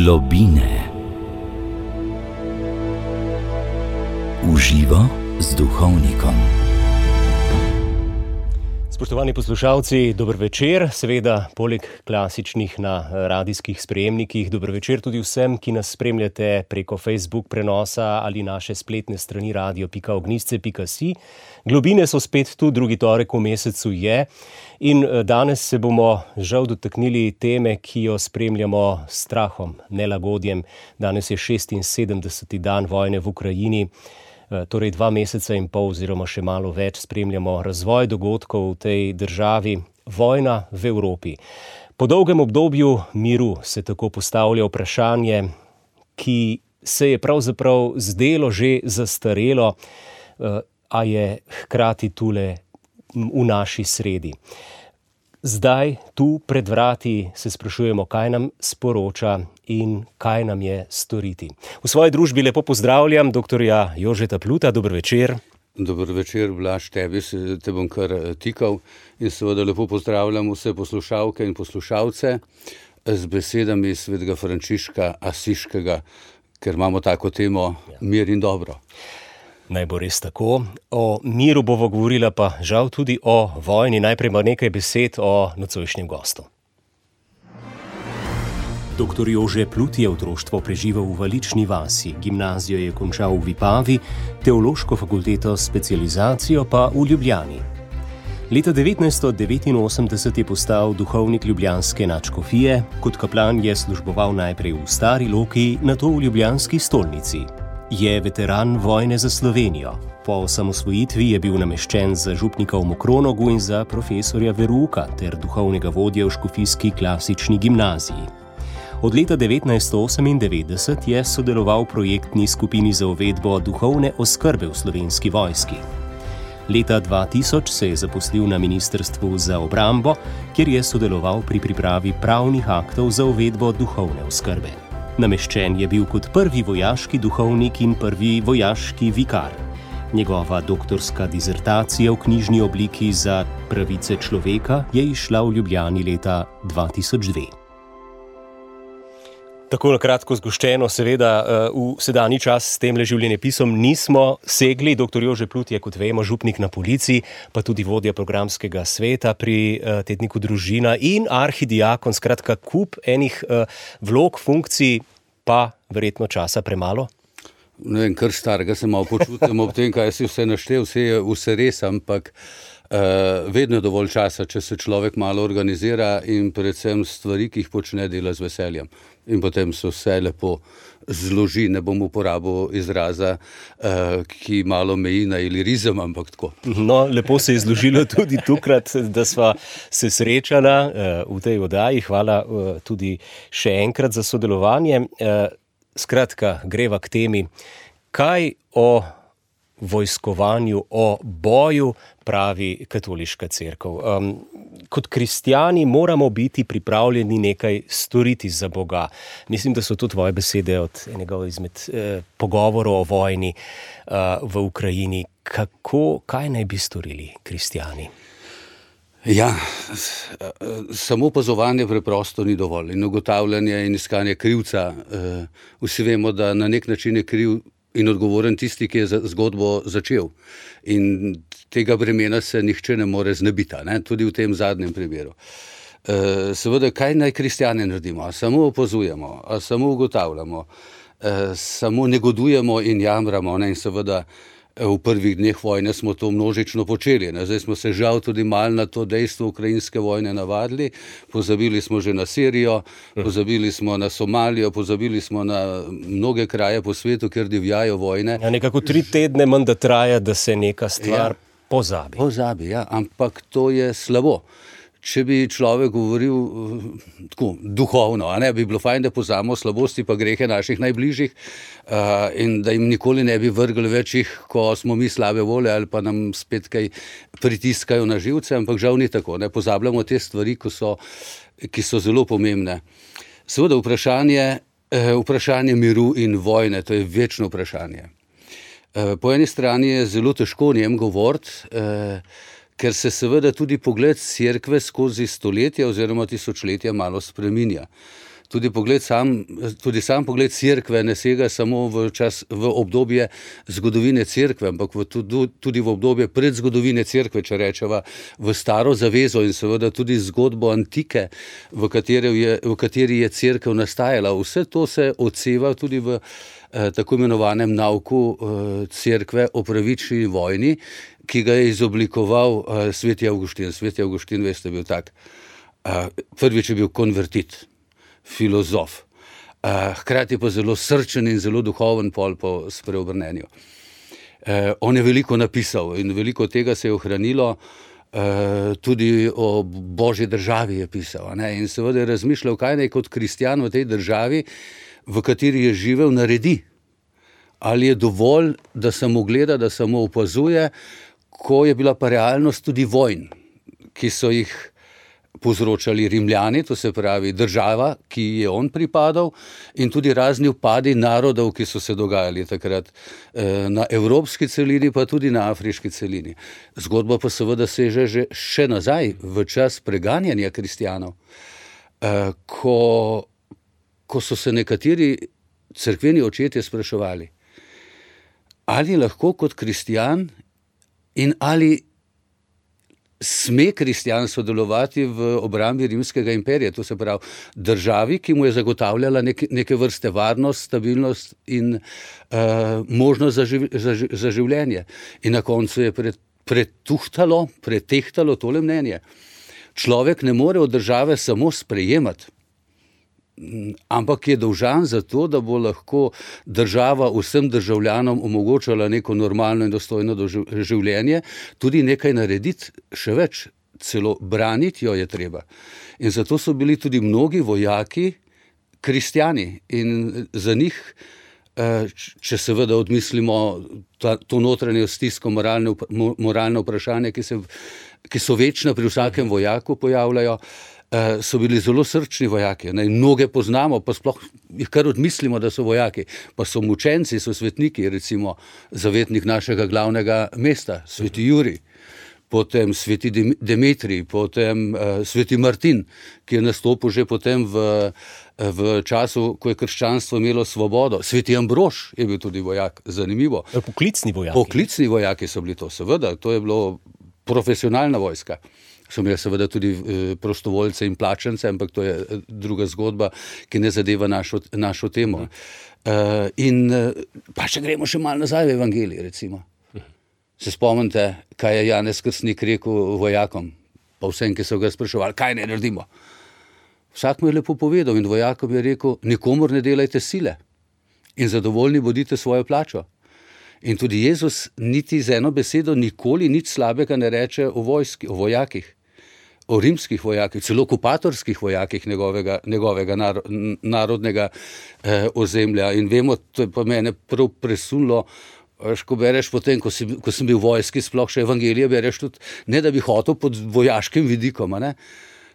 Globine. V živo z duhovnikom. Spoštovani poslušalci, dober večer. Seveda, poleg klasičnih na radijskih sprejemnikih, dober večer tudi vsem, ki nas spremljate preko Facebook prenosa ali naše spletne strani radio.ognisce.si. Globine so spet tu, drugi torek v mesecu je. In danes se bomo žal dotaknili teme, ki jo spremljamo s strahom, nelagodjem. Danes je 76. dan vojne v Ukrajini. Torej 2 meseca in pol oziroma še malo več spremljamo razvoj dogodkov v tej državi, vojna v Evropi. Po dolgem obdobju miru se tako postavlja vprašanje, ki se je pravzaprav zdelo že zastarelo, a je hkrati tule v naši sredi. Zdaj, tu pred vrati, se sprašujemo, kaj nam sporoča in kaj nam je storiti. V svoji družbi lepo pozdravljam doktorja Jožeta Pluta. Dober večer. Dober večer, Blaž, tebi te bom kar tikal in seveda lepo pozdravljam vse poslušalke in poslušalce z besedami svetega Frančiška Asiškega, ker imamo tako temo mir in dobro. Naj bo res tako. O miru bomo govorila pa žal tudi o vojni. Najprej ima nekaj besed o nocojšnjem gostu. Doktor Jože Plut je otroštvo preživel v Valični vasi, gimnazijo je končal v Vipavi, teološko fakulteto specializacijo pa v Ljubljani. Leta 1989 je postal duhovnik ljubljanske nadškofije, kot kaplan je služboval najprej v Stari Loki, nato v ljubljanski stolnici. Je veteran vojne za Slovenijo. Po osamosvojitvi je bil nameščen za župnika v Mokronogu in za profesorja verouka ter duhovnega vodja v škofijski klasični gimnaziji. Od leta 1998 je sodeloval v projektni skupini za uvedbo duhovne oskrbe v Slovenski vojski. Leta 2000 se je zaposlil na Ministrstvu za obrambo, kjer je sodeloval pri pripravi pravnih aktov za uvedbo duhovne oskrbe. Nameščen je bil kot prvi vojaški duhovnik in prvi vojaški vikar. Njegova doktorska dizertacija v knjižni obliki za pravice človeka je izšla v Ljubljani leta 2002. Tako na kratko zgoščeno, seveda v sedanji čas s temle življenjepisom nismo segli. Dr. Jože Plut je, kot vemo, župnik na Polici, pa tudi vodja programskega sveta pri tedniku Družina in arhidiakon, skratka kup enih vlog, funkcij, pa verjetno časa premalo. Ne vem, kar starega se malo počutim ob tem, kaj si vse naštel, vse res, ampak vedno je dovolj časa, če se človek malo organizira in predvsem stvari, ki jih počne, dela z veseljem. In potem se vse lepo zloži, ne bom uporabil izraza, ki malo meji na ilirizem, ampak tako. No, lepo se je zložilo tudi tukrat, da sva se srečala v tej oddaji. Hvala tudi še enkrat za sodelovanje. Skratka, greva k temi, kaj o vojskovanju, o boju pravi katoliška cerkev. Kot kristjani moramo biti pripravljeni nekaj storiti za Boga. Mislim, da so to tvoje besede od enega izmed pogovorov o vojni v Ukrajini. Kaj naj bi storili kristjani? Ja, samo opazovanje preprosto ni dovolj in ugotavljanje in iskanje krivca. Vsi vemo, da na nek način je kriv in odgovoren tisti, ki je zgodbo začel. In tega bremena se nihče ne more znebiti, tudi v tem zadnjem primeru. Seveda, kaj naj kristjani naredimo? A samo opazujemo, a samo ugotavljamo, samo negodujemo in jamramo, in seveda v prvih dneh vojne smo to množično počeli. Zdaj smo se žal tudi malo na to dejstvo ukrajinske vojne navadili. Pozabili smo že na Sirijo, pozabili smo na Somalijo, pozabili smo na mnoge kraje po svetu, kjer divjajo vojne. Ja, nekako 3 tedne menda traja, da se neka stvar pozabi. Pozabi, ja, ampak to je slabo. Če bi človek govoril tako duhovno, bi bilo fajn, da pozabimo slabosti pa grehe naših najbližjih in da jim nikoli ne bi vrgli večjih, ko smo mi slabe volje ali pa nam spet kaj pritiskajo na živce, ampak žal ni tako. Pozabljamo te stvari, ki so zelo pomembne. Seveda vprašanje miru in vojne, to je večno vprašanje. Po eni strani je zelo težko o njem govoriti, ker se seveda tudi pogled cerkve skozi stoletja oziroma tisočletja malo spreminja. Tudi sam pogled cerkve ne sega samo v obdobje zgodovine cerkve, ampak tudi v obdobje predzgodovine cerkve, če rečeva, v staro zavezo in seveda tudi zgodbo antike, v kateri je cerkev nastajala. Vse to se odseva tudi v tako imenovanem nauku cerkve o pravični vojni, ki ga je izoblikoval sveti Avguštin. Sveti Avguštin, veste, bil tak. Prvič je bil konvertit, filozof, hkrati pa zelo srčen in zelo duhoven pol po spreobrnenju. On je veliko napisal in veliko tega se je ohranilo, tudi o Božji državi je pisal, ne? In seveda je razmišljal, kaj naj kot kristjan v tej državi, v kateri je živel, naredi. Ali je dovolj, da samo gleda, da samo opazuje, ko je bila pa realnost tudi vojn, ki so jih povzročali Rimljani, to se pravi država, ki je on pripadal, in tudi razni upadi narodov, ki so se dogajali takrat na evropski celini, pa tudi na afriški celini. Zgodba pa seveda seže že še nazaj, v čas preganjanja kristjanov, ko so se nekateri cerkveni očetje spraševali, ali lahko kot kristjan in ali sme kristjanstvo delovati v obrambi Rimskega imperija, to se pravi državi, ki mu je zagotavljala neke vrste varnost, stabilnost in možnost za življenje. In na koncu je pretehtalo tole mnenje. Človek ne more od države samo sprejemati, ampak je dolžan za to, da bo lahko država vsem državljanom omogočala neko normalno in dostojno življenje, tudi nekaj narediti, še več, celo braniti jo je treba. In zato so bili tudi mnogi vojaki kristjani in za njih, če seveda odmislimo to notranje stisko, moralne vprašanje, ki so večna pri vsakem vojaku pojavljajo, so bili zelo srčni vojaki. Mnoge poznamo, pa sploh jih kar odmislimo, da so vojaki. Pa so mučenci, so svetniki, recimo zavetnik našega glavnega mesta, sveti Jurij, potem sveti Demetrij, potem sveti Martin, ki je nastopil že potem v času, ko je krščanstvo imelo svobodo. Sveti Ambrož je bil tudi vojak, zanimivo. Poklicni vojaki. Poklicni vojaki so bili to, seveda, to je bilo profesionalna vojska. So imeli seveda tudi prostovoljce in plačance, ampak to je druga zgodba, ki ne zadeva našo temo. Pa še gremo še malo nazaj v evangelij, recimo. Se spomnite, kaj je Janez Krstnik rekel vojakom, pa vsem, ki so ga spraševali, kaj ne naredimo. Vsak mu je lepo povedal in vojakom je rekel, nikomur ne delajte sile in zadovoljni bodite svojo plačo. In tudi Jezus niti z eno besedo nikoli nič slabega ne reče o vojski, o vojakih, o rimskih vojakih, celo okupatorskih vojakih njegovega narodnega ozemlja. In vemo, to je pa mene prav presunilo, ko bereš potem, ko sem bil v vojski, sploh še evangelije bereš tudi, ne da bi hotel pod vojaškim vidikom,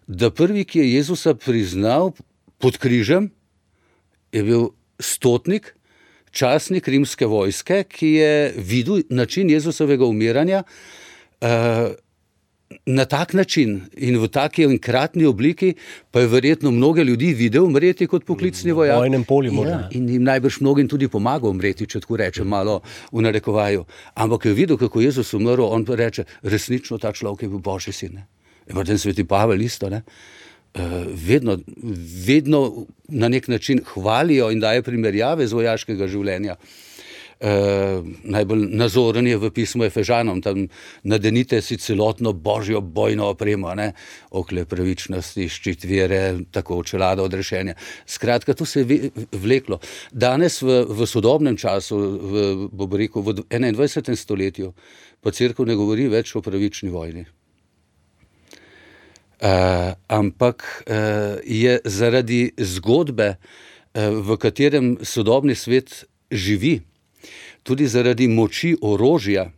da prvi, ki je Jezusa priznal pod križem, je bil stotnik, častnik rimske vojske, ki je videl način Jezusovega umiranja na tak način in v taki enkratni obliki, pa je verjetno mnoge ljudi videl umreti kot poklicni vojak. V vojnem polju morda. Ja, in jim najbrž mnogim tudi pomagal umreti, če tako rečem malo v narekovaju. Ampak je videl, kako Jezus umrl, on pa reče, resnično ta človek je bil Božji sin. In potem sveti Pavel isto, vedno na nek način hvalijo in daje primerjave z vojaškega življenja. Najbolj nazoren je v pismu Efežanom, tam nadenite si celotno božjo bojno opremo, okle pravičnosti, ščit vere, tako čelada odrešenja. Skratka, to se je vleklo. Danes v sodobnem času, v 21. stoletju, pa cerkev ne govori več o pravični vojni. Ampak je zaradi zgodbe, v katerem sodobni svet živi, tudi zaradi moči orožja,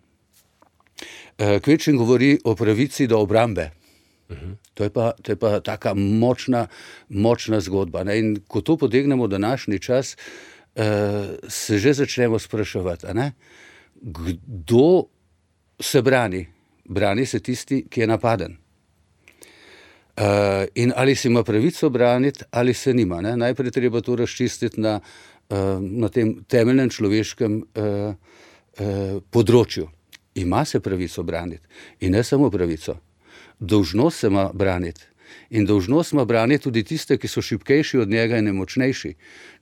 kvečjem govori o pravici do obrambe. To je pa taka močna zgodba. In ko to potegnemo v današnji čas, se že začnemo spraševati, kdo se brani? Brani se tisti, ki je napaden. In ali si ima pravico braniti, ali se nima. Ne? Najprej treba to razčistiti na tem temeljnem človeškem področju. Ima se pravico braniti in ne samo pravico. Dolžnost se ima braniti. In dolžnost ima braniti tudi tiste, ki so šibkejši od njega in nemočnejši.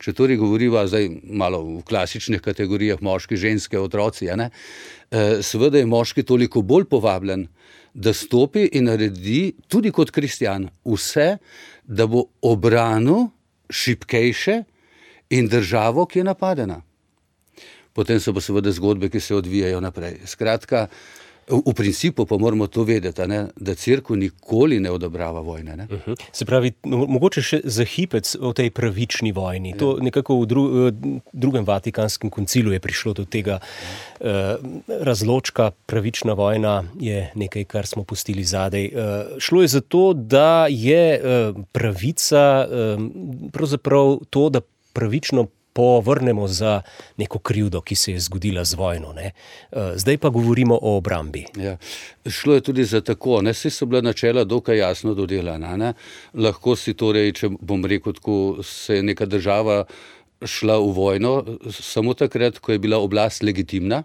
Če torej govoriva zdaj malo v klasičnih kategorijah moški, ženske, otroci, seveda je moški toliko bolj povabljen, da stopi in naredi tudi kot kristjan vse, da bo obranil šibkejše in državo, ki je napadena. Potem so pa seveda zgodbe, ki se odvijajo naprej. Skratka, v principu pa moramo to vedeti, da cerkev nikoli ne odobrava vojne. Ne? Se pravi, mogoče še za hipec o tej pravični vojni. To nekako v drugem Vatikanskem koncilu je prišlo do tega razločka. Pravična vojna je nekaj, kar smo pustili zadej. Šlo je za to, da je pravica pravzaprav to, da pravično povrnemo za neko krivdo, ki se je zgodila z vojno. Ne? Zdaj pa govorimo o obrambi. Ja. Šlo je tudi za tako, saj so bila načela dokaj jasno dodelana. Ne? Lahko si torej, če bom rekel tako, se je neka država šla v vojno samo takrat, ko je bila oblast legitimna,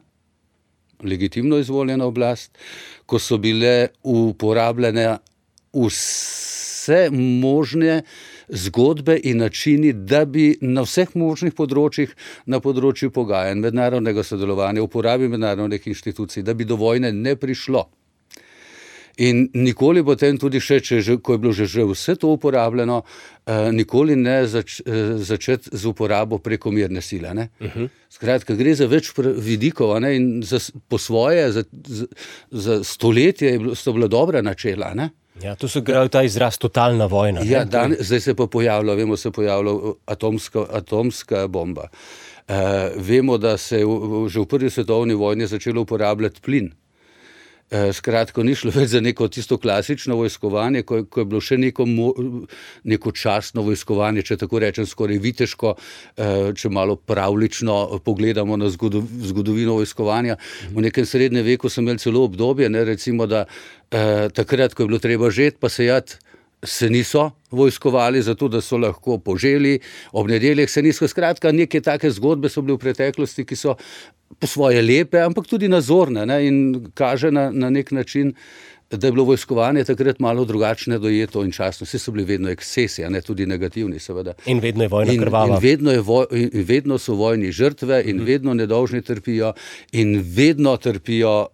legitimno izvoljena oblast, ko so bile uporabljene vse možne zgodbe in načini, da bi na vseh možnih področjih, na področju pogajanj, mednarodnega sodelovanja, uporabi mednarodnih inštitucij, da bi do vojne ne prišlo. In nikoli potem tudi še, ko je bilo že vse to uporabljeno, nikoli ne začeti z uporabo prekomerne sile. Ne? Skratka, gre za več vidikov, in po svoje, za stoletje so bila dobra načela. Ne? Ja, to so ta izraz totalna vojna. Ja, zdaj se pa pojavlja, se je pojavila atomska bomba. Vemo, da se je že v prvi svetovni vojni začelo uporabljati plin. Skratka, ni šlo več za neko tisto klasično vojskovanje, ko je bilo še neko častno vojskovanje, če tako rečem, skoraj viteško, če malo pravlično pogledamo na zgodovino vojskovanja. V nekem srednjem veku so imeli celo obdobje, recimo, da takrat, ko je bilo treba žeti pa sejati, se niso vojskovali, zato da so lahko poželi, ob nedeljah se niso. Skratka, neke take zgodbe so bile v preteklosti, ki so po svoje lepe, ampak tudi nazorne, in kaže na nek način, da je bilo vojskovanje takrat malo drugačne dojeto in častno. Vsi so bili vedno ekscesi, tudi negativni, seveda. In vedno je vojna krvava. In vedno so vojni žrtve in vedno nedolžni trpijo in vedno trpijo,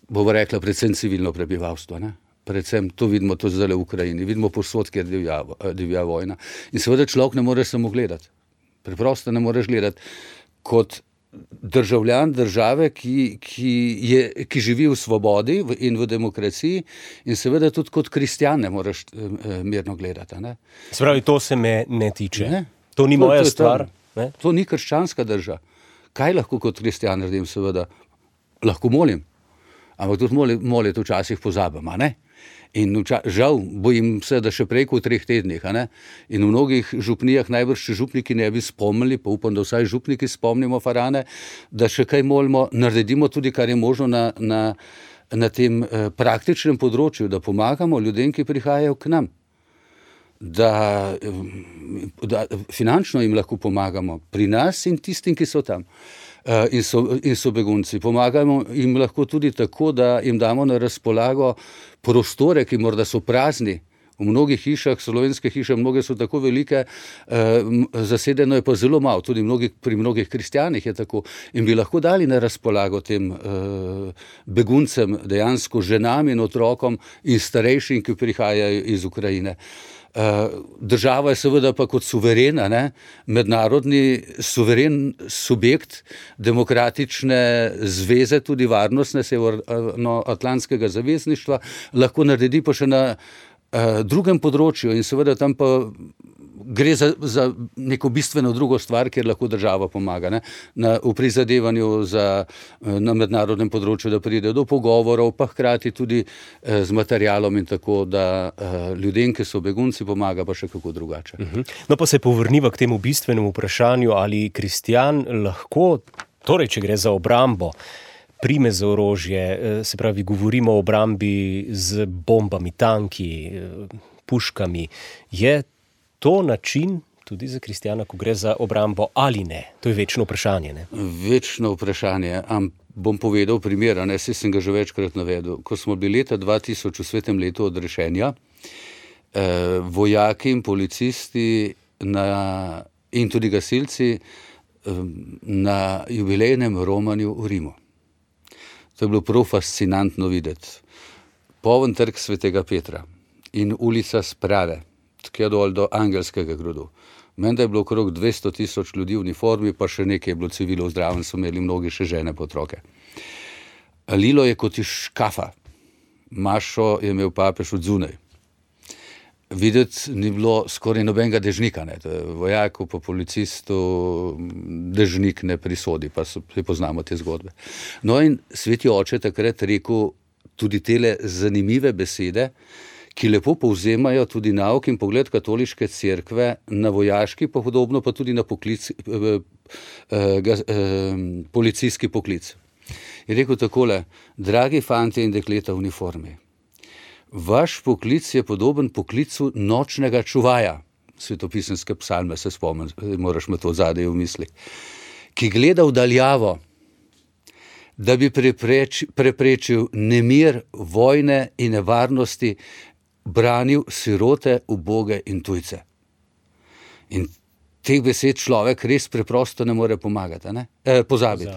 bomo rekla, predvsem civilno prebivalstvo, Predvsem to vidimo to zdaj v Ukrajini, vidimo povsod, kjer divja vojna. In seveda človek ne more samo gledati. Preprosto ne moreš gledati kot državljan države, ki živi v svobodi in v demokraciji, in seveda tudi kot kristjan ne moreš mirno gledati. Se pravi, to se me ne tiče. Ne? To ni moja stvar. To ni krščanska drža. Kaj lahko kot kristjan naredim, seveda? Lahko molim. Ampak tudi moliti včasih pozabim, In žal, bojim se, da še prej kot 3 tednih. In v mnogih župnijah, najbrž če župniki ne bi spomnili, pa upam, da vsaj župniki spomnimo farane, da še kaj molimo, naredimo tudi, kar je možno na tem praktičnem področju, da pomagamo ljudem, ki prihajajo k nam. Da finančno jim lahko pomagamo pri nas in tistim, ki so tam. In so begunci. Pomagamo jim lahko tudi tako, da jim damo na razpolago prostore, ki morda so prazni. V mnogih hišah, slovenske hiše, mnoge so tako velike, zasedeno je pa zelo malo, tudi pri mnogih kristjanih je tako. In bi lahko dali na razpolago tem beguncem, dejansko ženam in otrokom in starejšim, ki prihajajo iz Ukrajine. Država je seveda pa kot suverena, mednarodni suveren subjekt demokratične zveze, tudi varnostne Severnoatlantskega zavezništva, lahko naredi pa še na drugem področju in seveda tam pa gre za neko bistveno drugo stvar, kjer lahko država pomaga, v prizadevanju na mednarodnem področju, da pride do pogovorov, pa hkrati tudi z materialom in tako, da ljudem, ki so begunci, pomaga pa še kako drugače. No pa se povrniva k temu bistvenemu vprašanju, ali kristjan lahko, torej če gre za obrambo, prime za orožje, se pravi, govorimo o obrambi z bombami, tanki, puškami. Je to način tudi za kristjana, ko gre za obrambo ali ne? To je večno vprašanje, ne? Večno vprašanje. Bom povedal primer, saj sem ga že večkrat navedel. Ko smo bili leta 2000 v svetem letu odrešenja, vojaki in policisti in tudi gasilci na jubilejnem romanju v Rimu. To je bilo prav fascinantno videti. Poln trg Svetega Petra in ulica Sprave, tja dol do Angelskega gradu. Menda je bilo okrog 200,000 ljudi v uniformi, pa še nekaj je bilo civilov zdraven, so imeli mnogi še žene pa otroke. Lilo je kot iz škafa. Mašo je imel papež od zunaj. Videti ni bilo skoraj nobenega dežnika. Vojaku pa policistu dežnik ne prisodi, pa poznamo te zgodbe. No in sveti oče takrat rekel tudi tele zanimive besede, ki lepo povzemajo tudi nauk in pogled katoliške cerkve na vojaški, pa podobno pa tudi na policijski poklic. Je rekel takole: dragi fantje in dekleta v uniformi, vaš poklic je podoben poklicu nočnega čuvaja, svetopisemske psalme se spomnim, moraš me to zadaj v misli, ki gleda v daljavo, da bi preprečil nemir, vojne in nevarnosti, branil sirote, uboge in tujce. In teh besed človek res preprosto ne more pozabiti.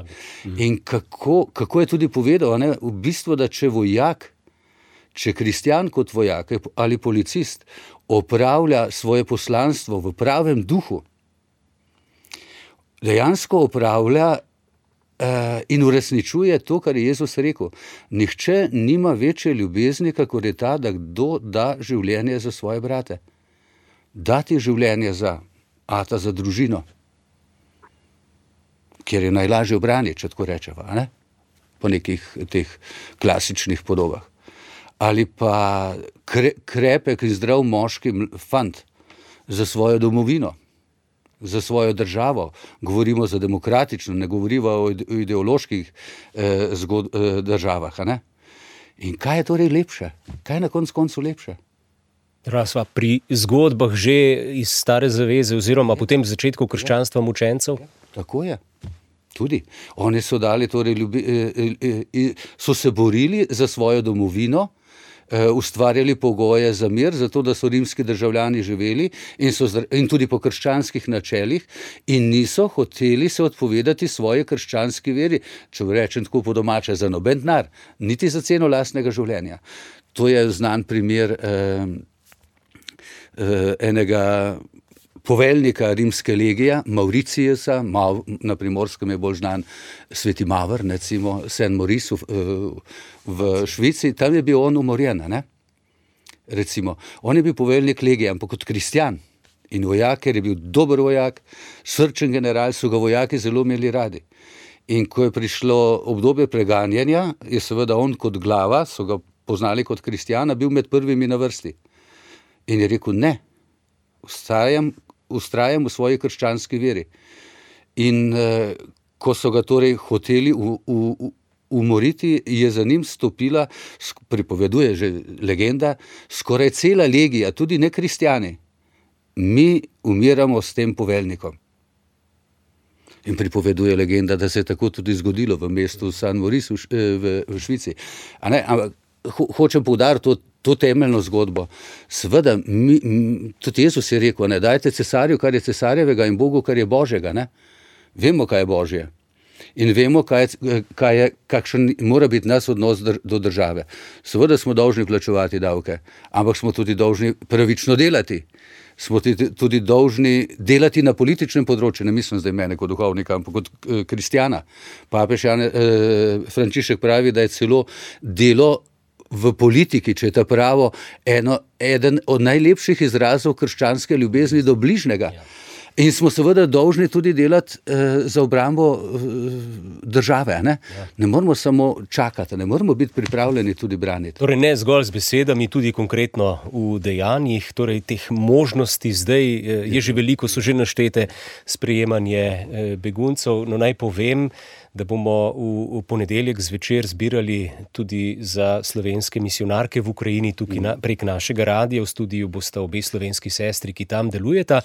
In kako je tudi povedal, v bistvu, da če kristjan kot vojak ali policist opravlja svoje poslanstvo v pravem duhu, dejansko opravlja in uresničuje to, kar je Jezus rekel. Nihče nima večje ljubezni, kakor je ta, da kdo da življenje za svoje brate. Dati življenje za družino, kjer je najlažje obraniti, če tako rečeva, po nekih teh klasičnih podobah. Ali pa krepek in zdrav moški fant za svojo domovino, za svojo državo. Govorimo za demokratično, ne govorimo o ideoloških državah. In kaj je torej lepše? Kaj je na koncu lepše? Sva pri zgodbah že iz Stare zaveze oziroma potem v začetku krščanstva mučencev? Tako je. Tudi. Oni so dali, torej, so se borili za svojo domovino, ustvarjali pogoje za mir, zato da so rimski državljani živeli in tudi po krščanskih načelih in niso hoteli se odpovedati svoje krščanski veri, če rečem tako po domače, za noben denar, niti za ceno lastnega življenja. To je znan primer enega poveljnika rimske legije, Mauriciusa, na Primorskem je bolj znan sveti Mavr, recimo Saint Maurice v Švici, tam je bil on umorjen, recimo. On je bil poveljnik legije, ampak kot kristjan in vojak, ker je bil dober vojak, srčen general, so ga vojaki zelo imeli radi. In ko je prišlo obdobje preganjanja, je seveda on kot glava, so ga poznali kot kristjana, bil med prvimi na vrsti. In je rekel, ne, ustrajam v svoji krščanski veri. In ko so ga torej hoteli umoriti, je za njim stopila, pripoveduje že legenda, skoraj cela legija, tudi ne kristjani. Mi umiramo s tem poveljnikom. In pripoveduje legenda, da se je tako tudi zgodilo v mestu Saint Maurice v Švici. Hočem poudariti to temeljno zgodbo. Seveda, tudi Jezus je rekel, dajte cesarju, kar je cesarjevega, in Bogu, kar je Božjega. Vemo, kaj je Božje. In vemo, kakšen mora biti nas odnos do države. Seveda smo dolžni plačevati davke, ampak smo tudi dolžni pravično delati. Smo tudi dolžni delati na političnem področju, ne mislim zdaj mene kot duhovnika, ampak kot kristjana. Papež Frančišek pravi, da je celo delo v politiki, če je ta pravo, eden od najlepših izrazov krščanske ljubezni do bližnjega. In smo seveda dolžni tudi delati za obrambo države. Ne moramo samo čakati, ne moramo biti pripravljeni tudi braniti. Torej ne zgolj z besedami, tudi konkretno v dejanjih. Torej teh možnosti zdaj je že veliko, so že naštete sprejemanje beguncev. No naj povem, da bomo v ponedeljek zvečer zbirali tudi za slovenske misionarke v Ukrajini, tukaj prek našega radia. V studiu bosta obe slovenski sestri, ki tam delujeta.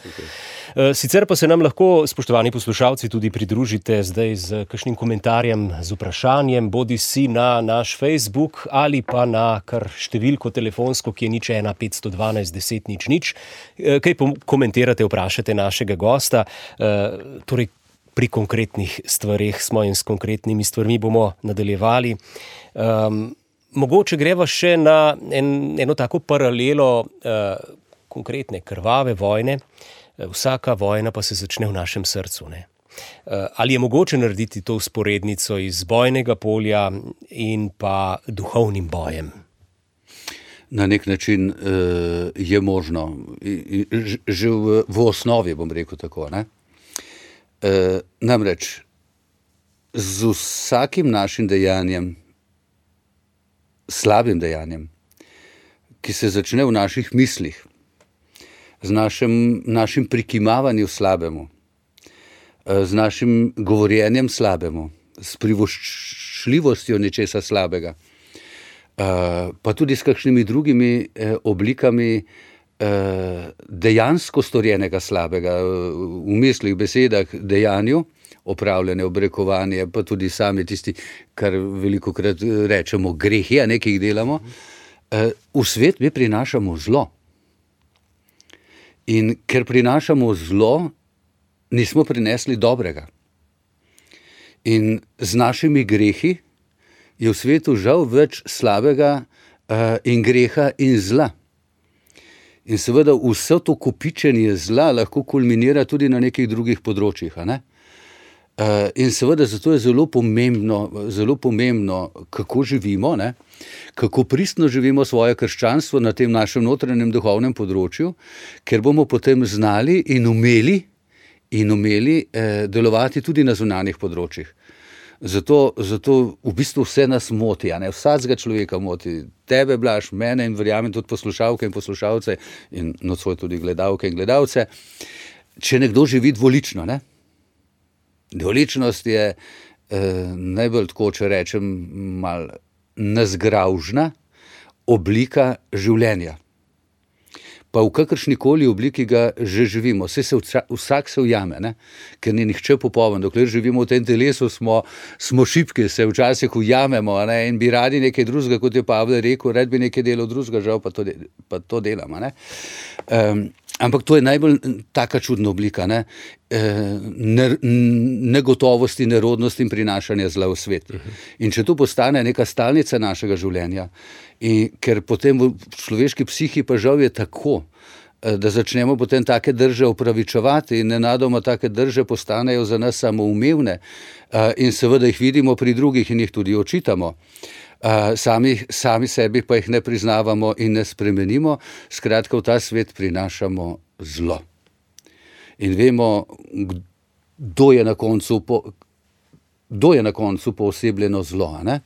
Sicer pa se nam lahko, spoštovani poslušalci, tudi pridružite zdaj z kakšnim komentarjem, z vprašanjem, bodi si na naš Facebook ali pa na kar številko telefonsko, ki je 01 512 10 00. Kaj komentirate, vprašate našega gosta. Torej, pri konkretnih stvareh smo in s konkretnimi stvarmi bomo nadaljevali. Mogoče greva še na eno tako paralelo konkretne krvave vojne. Vsaka vojna pa se začne v našem srcu, ne? Ali je mogoče narediti to vzporednico iz bojnega polja in pa duhovnim bojem? Na nek način je možno. Že v osnovi, bom rekel tako, ne? Namreč, z vsakim našim dejanjem, slabim dejanjem, ki se začne v naših mislih, z našim prikimavanjem slabemu, z našim govorjenjem slabemu, s privoščljivostjo nečesa slabega, pa tudi s kakšnimi drugimi oblikami dejansko storjenega slabega, v mislih, besedah, dejanju, opravljene obrekovanje, pa tudi sami tisti, kar velikokrat rečemo, grehi, a nekaj jih delamo, v svet mi prinašamo zlo. In ker prinašamo zlo, nismo prinesli dobrega. In z našimi grehi je v svetu žal več slabega in greha in zla. In seveda vse to kopičenje zla lahko kulminira tudi na nekih drugih področjih. A ne? In seveda zato je zelo pomembno, kako živimo, ne? Kako pristno živimo svoje krščanstvo na tem našem notranjem duhovnem področju, ker bomo potem znali in umeli delovati tudi na zunanjih področjih. Zato v bistvu vse nas moti, a ne? Vsakega človeka moti, tebe, Blaž, mene in verjamem tudi poslušalke in poslušalce in nocoj tudi gledalke in gledalce, če nekdo živi dvolično, ne? Dvoličnost je najbolj tako, če rečem, malo nezgravžna oblika življenja. Pa v kakršnikoli obliki ga že živimo. Vsak se ujame, ne? Ker ni nihče popoln. Dokler živimo v tem telesu, smo šibki, se včasih ujamemo, ne? In bi radi nekaj drugega, kot je Pavel rekel, rad bi nekaj delal drugega, žal pa to delamo. Ne? Ampak to je najbolj taka čudna oblika, ne? Negotovosti, nerodnosti in prinašanja zla v svet. In če to postane neka stalnica našega življenja, in ker potem v človeški psihi pa žal je tako, da začnemo potem take drže opravičevati in nenadoma take drže postanejo za nas samoumevne in seveda jih vidimo pri drugih in jih tudi očitamo. Sami sebi pa jih ne priznavamo in ne spremenimo, skratka v ta svet prinašamo zlo. In vemo, kdo je na koncu poosebljeno zlo, ne?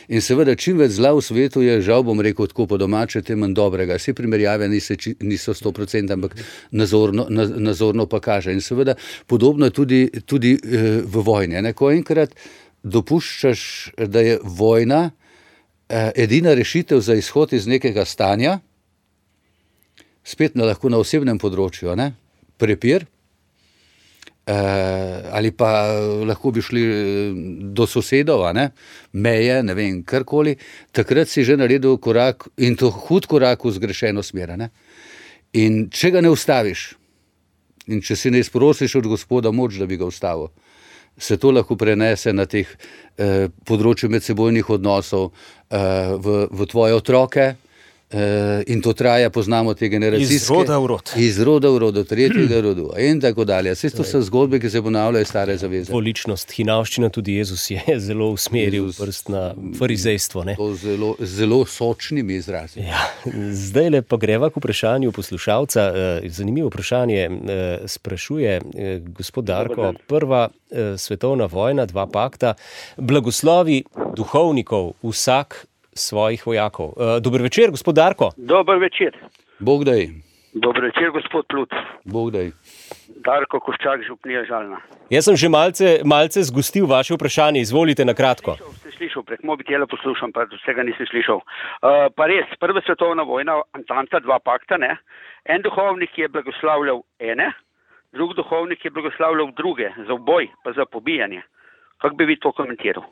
In seveda, čim več zla v svetu je, žal bom rekel tako po domače, tem manj dobrega. Vse primerjave niso 100%, ampak nazorno pa kaže. In seveda, podobno je tudi v vojni. Ko enkrat dopuščaš, da je vojna edina rešitev za izhod iz nekega stanja, spet lahko na osebnem področju, ne? Prepir, ali pa lahko bi šli do sosedov, ne? Meje, ne vem, karkoli, takrat si že naredil korak in to hud korak v zgrešeno smer. Ne? In če ga ne ustaviš in če si ne izprosiš od Gospoda moč, da bi ga ustavil, se to lahko prenese na teh področju medsebojnih odnosov v tvoje otroke. In to traja, poznamo te generacijske. Iz roda v rod, do tretjega rodu in tako dalje. Vse to so zgodbe, ki se ponavljajo stare zaveze. Dvoličnost, hinavščina, tudi Jezus je zelo usmeril prst na farizejstvo. Ne? To zelo sočnimi izrazi. Ja, zdaj pa greva k vprašanju poslušalca. Zanimivo vprašanje sprašuje gospod Darko. Prva svetovna vojna, 2 pakta, blagoslovi duhovnikov, vsak svojih vojakov. Dober večer, gospod Darko. Dober večer. Bog daj. Dobro večer, gospod Plut. Bog daj. Darko Koščak, župnija Žalna. Jaz sem že malce zgostil vaše vprašanje, izvolite na kratko. Sem slišal, prek mobitela poslušam, pa vsega nisem slišal. Pa res, Prva svetovna vojna, Antanta, dva pakta, ne? En duhovnik je blagoslavljal ene, drug duhovnik je blagoslavljal druge, za uboj, pa za pobijanje. Kako bi vi to komentiral?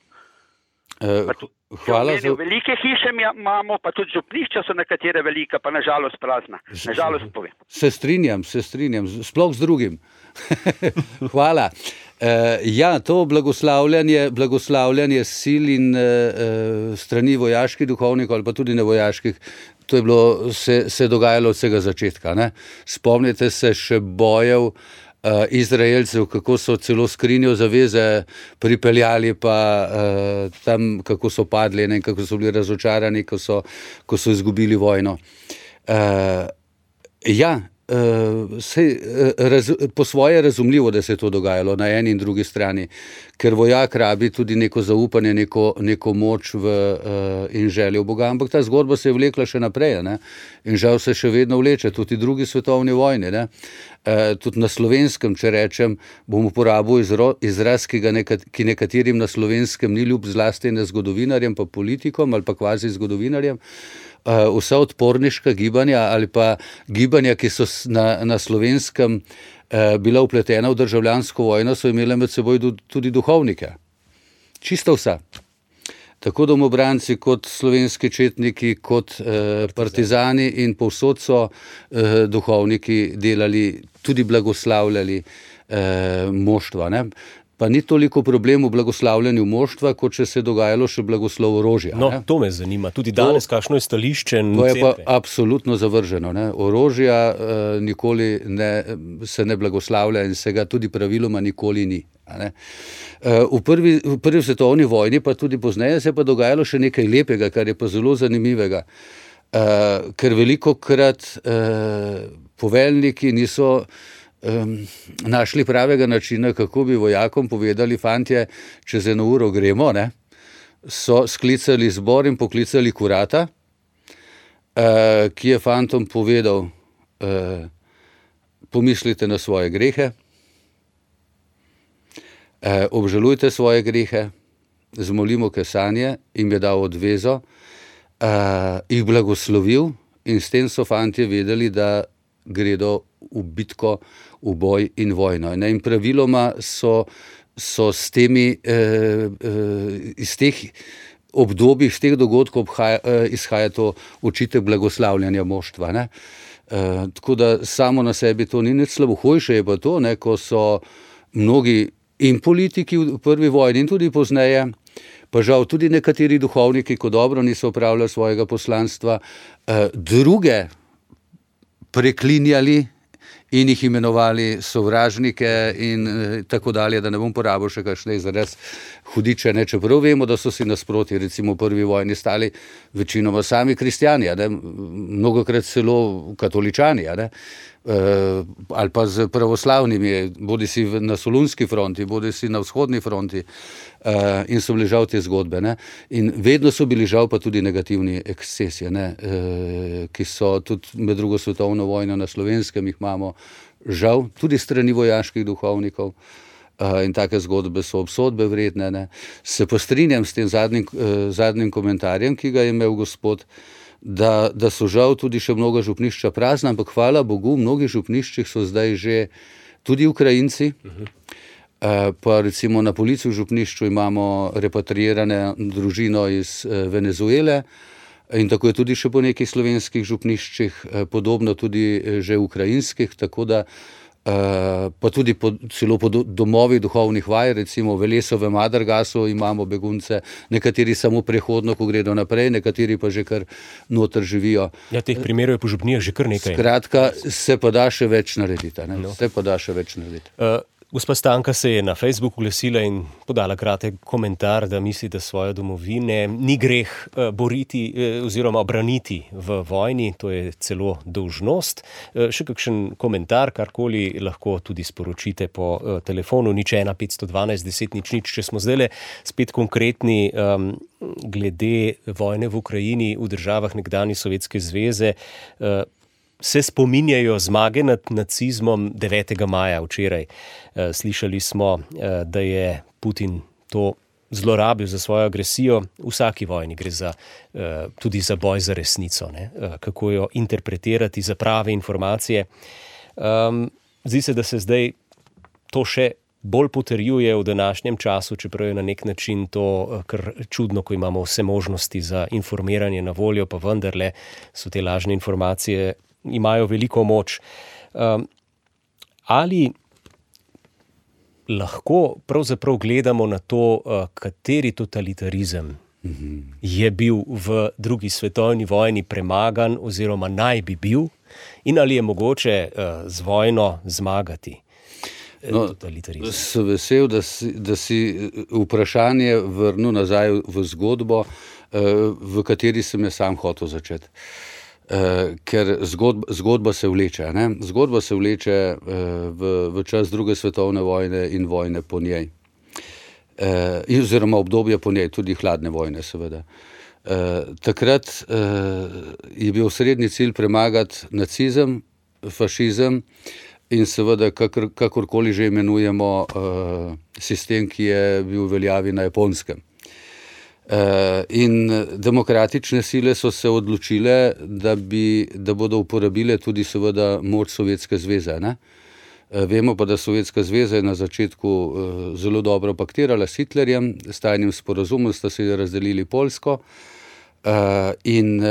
Hvala za... Velike hiše imamo, pa tudi župnišča so nekatere velika, pa nažalost prazna. Nažalost povem. Se strinjam, sploh z drugim. Hvala. Ja, to blagoslavljanje sil in strani vojaških duhovnikov ali pa tudi nevojaških, to je bilo, se dogajalo od vsega začetka. Ne? Spomnite se še bojev Izraelcev, kako so celo skrinjo zaveze pripeljali, pa tam, kako so padli, ne, kako so bili razočarani, ko so izgubili vojno. Po svoje razumljivo, da se je to dogajalo na eni in drugi strani, ker vojak rabi tudi neko zaupanje, neko moč in željo v Boga, ampak ta zgodba se je vlekla še naprej, ne? In žal se še vedno vleče, tudi drugi svetovni vojni, ne? Tudi na Slovenskem, če rečem, bom uporabil izraz, ki nekaterim na Slovenskem ni ljub, zlasti ne zgodovinarjem, pa politikom ali pa kvazi zgodovinarjem. Vsa odporniška gibanja ali pa gibanja, ki so na Slovenskem bila vpletena v državljansko vojno, so imele med seboj tudi duhovnike. Čisto vsa. Tako domobranci kot slovenski četniki, kot partizani in povsod so duhovniki delali, tudi blagoslavljali moštva. Ne? Pa ni toliko problem v blagoslavljanju moštva, kot če se je dogajalo še blagoslov orožja. No, to me zanima. Tudi danes, kakšno je stališče? To je pa absolutno zavrženo. Ne? Orožja nikoli se ne blagoslavlja in se ga tudi praviloma nikoli ni. V prvi svetovni vojni, pa tudi pozneje, se je pa dogajalo še nekaj lepega, kar je pa zelo zanimivega. Ker velikokrat poveljniki niso našli pravega načina, kako bi vojakom povedali, fantje, čez 1 uro gremo, ne? So sklicali zbor in poklicali kurata, ki je fantom povedal, pomislite na svoje grehe, obžalujte svoje grehe, zmolimo kesanje, jim je dal odvezo, jih blagoslovil in s tem so fantje vedeli, da gredo v bitko, v boj in vojno. In praviloma so s temi, iz teh obdobij, iz teh dogodkov izhaja to očitek blagoslavljanja moštva. Ne? Tako da samo na sebi to ni nič slabo. Hujše je pa to, ne, ko so mnogi in politiki v prvi vojni in tudi pozneje, pa žal tudi nekateri duhovniki, ko dobro niso opravljali svojega poslanstva, druge preklinjali in jih imenovali sovražnike in tako dalje, da ne bom porabil še kakšne izraz hudiče, ne, čeprav vemo, da so si nasproti, recimo v prvi vojni stali večinoma sami kristjani, ne, mnogokrat celo katoličani, ne, ali pa z pravoslavnimi, bodi si na Solunski fronti, bodi si na vzhodni fronti, in so bili žal te zgodbe. Ne? In vedno so bili žal pa tudi negativni ekscesi, ki so tudi med drugo svetovno vojno na Slovenskem, jih imamo žal tudi strani vojaških duhovnikov, in take zgodbe so obsodbe vredne. Ne? Se pa strinjam s tem zadnjim komentarjem, ki ga je imel gospod, da so žal tudi še mnoga župnišča prazna, ampak hvala Bogu, v mnogih župniščih so zdaj že tudi Ukrajinci, pa recimo na Polici v župnišču imamo repatriirane družino iz Venezuele in tako je tudi še po nekih slovenskih župniščih, podobno tudi že ukrajinskih, tako da pa tudi celo po domovih duhovnih vaj, recimo v Velesovem Adargasu imamo begunce, nekateri samo prehodno, ko gredo naprej, nekateri pa že kar noter živijo. Ja, teh primerov je po župnijah že kar nekaj. Skratka, se pa da še več narediti. Se pa da še več narediti. Gospa Stanka se je na Facebooku oglasila in podala kratek komentar, da misli, da svoje domovine ni greh boriti oziroma braniti v vojni, to je celo dolžnost. Še kakšen komentar, karkoli lahko tudi sporočite po telefonu 01 512 10 00, če smo zdajle spet konkretni glede vojne v Ukrajini v državah nekdanje Sovjetske zveze. se spominjajo zmage nad nacizmom 9. maja včeraj. Slišali smo, da je Putin to zlorabil za svojo agresijo. V vsaki vojni gre tudi za boj za resnico, ne? Kako jo interpretirati za prave informacije. Zdi se, da se zdaj to še bolj potrjuje v današnjem času, čeprav je na nek način to kar čudno, ko imamo vse možnosti za informiranje na voljo, pa vendarle so te lažne informacije, imajo veliko moč. Ali lahko pravzaprav gledamo na to, kateri totalitarizem je bil v drugi svetovni vojni premagan oziroma naj bi bil, in ali je mogoče z vojno zmagati totalitarizem? Sem vesel, da si vprašanje vrnil nazaj v zgodbo, v kateri sem jaz sam hotel začeti. Ker zgodba se vleče. Ne? Zgodba se vleče v čas druge svetovne vojne in vojne po njej. Oziroma obdobja po njej, tudi hladne vojne seveda. Takrat je bil srednji cilj premagati nacizem, fašizem in seveda kakorkoli že imenujemo sistem, ki je bil v veljavi na Japonskem. In demokratične sile so se odločile, da bodo uporabile tudi seveda moč Sovjetske zveze. Ne? Vemo pa, da Sovjetska zveza je na začetku zelo dobro paktirala s Hitlerjem, s tajnim sporazumom sta si razdelili Poljsko in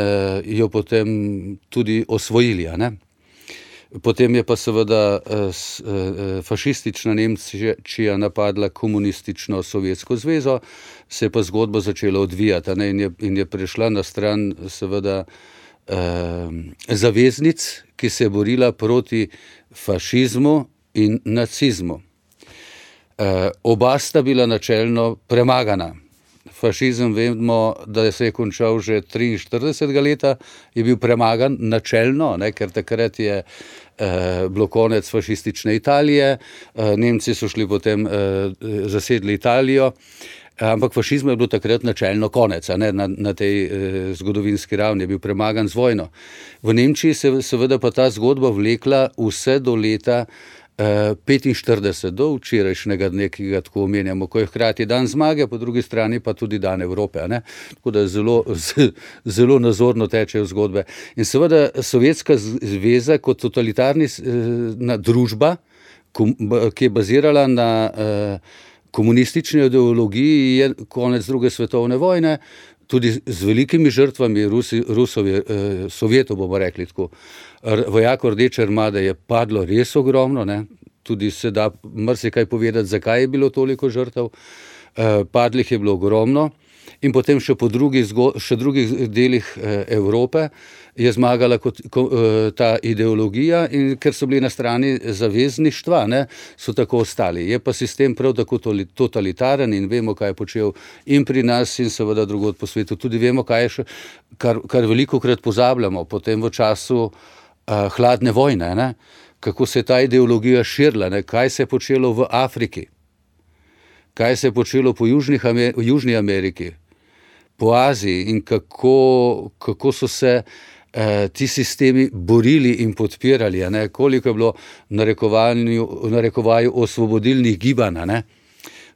jo potem tudi osvojili. Ne? Potem je pa seveda fašistična Nemčija napadla komunistično Sovjetsko zvezo, se je pa zgodba začela odvijati, ne? In je prešla na stran seveda zaveznic, ki se je borila proti fašizmu in nacizmu. Oba sta bila načelno premagana. Fašizem vemo, da se je končal že 43. leta, je bil premagan načelno, ne, ker takrat je bilo konec fašistične Italije, Nemci so šli potem, zasedli Italijo, ampak fašizmu je bilo takrat načelno konec, ne, na tej zgodovinski ravni je bil premagan z vojno. V Nemčiji se seveda pa ta zgodba vlekla vse do leta 45, do včerajšnjega dne, ki ga tako omenjamo, ko je hkrati dan zmage, po drugi strani pa tudi dan Evrope. Ne? Tako da zelo nazorno tečejo zgodbe. In seveda Sovjetska zveza kot totalitarna družba, ki je bazirala na komunistični ideologiji, je konec druge svetovne vojne, tudi z velikimi žrtvami Sovjetov, bomo rekli tako. Vojakov Rdeče armade je padlo res ogromno, ne? Tudi se da marsikaj povedati, zakaj je bilo toliko žrtev. Padlih je bilo ogromno in potem še po drugih delih Evrope je zmagala ta ideologija in ker so bili na strani zavezništva, ne, so tako ostali. Je pa sistem prav tako totalitaren in vemo, kaj je počel in pri nas in seveda drugod po svetu. Tudi vemo, kaj je še, kar velikokrat pozabljamo, potem v času hladne vojne, ne, kako se je ta ideologija širila, ne, kaj se je počelo v Afriki, kaj se je počelo po Južni Ameriki, po Aziji in kako so se ti sistemi borili in podpirali, ne? Koliko je bilo v narekovaju osvobodilnih gibanj. Ne?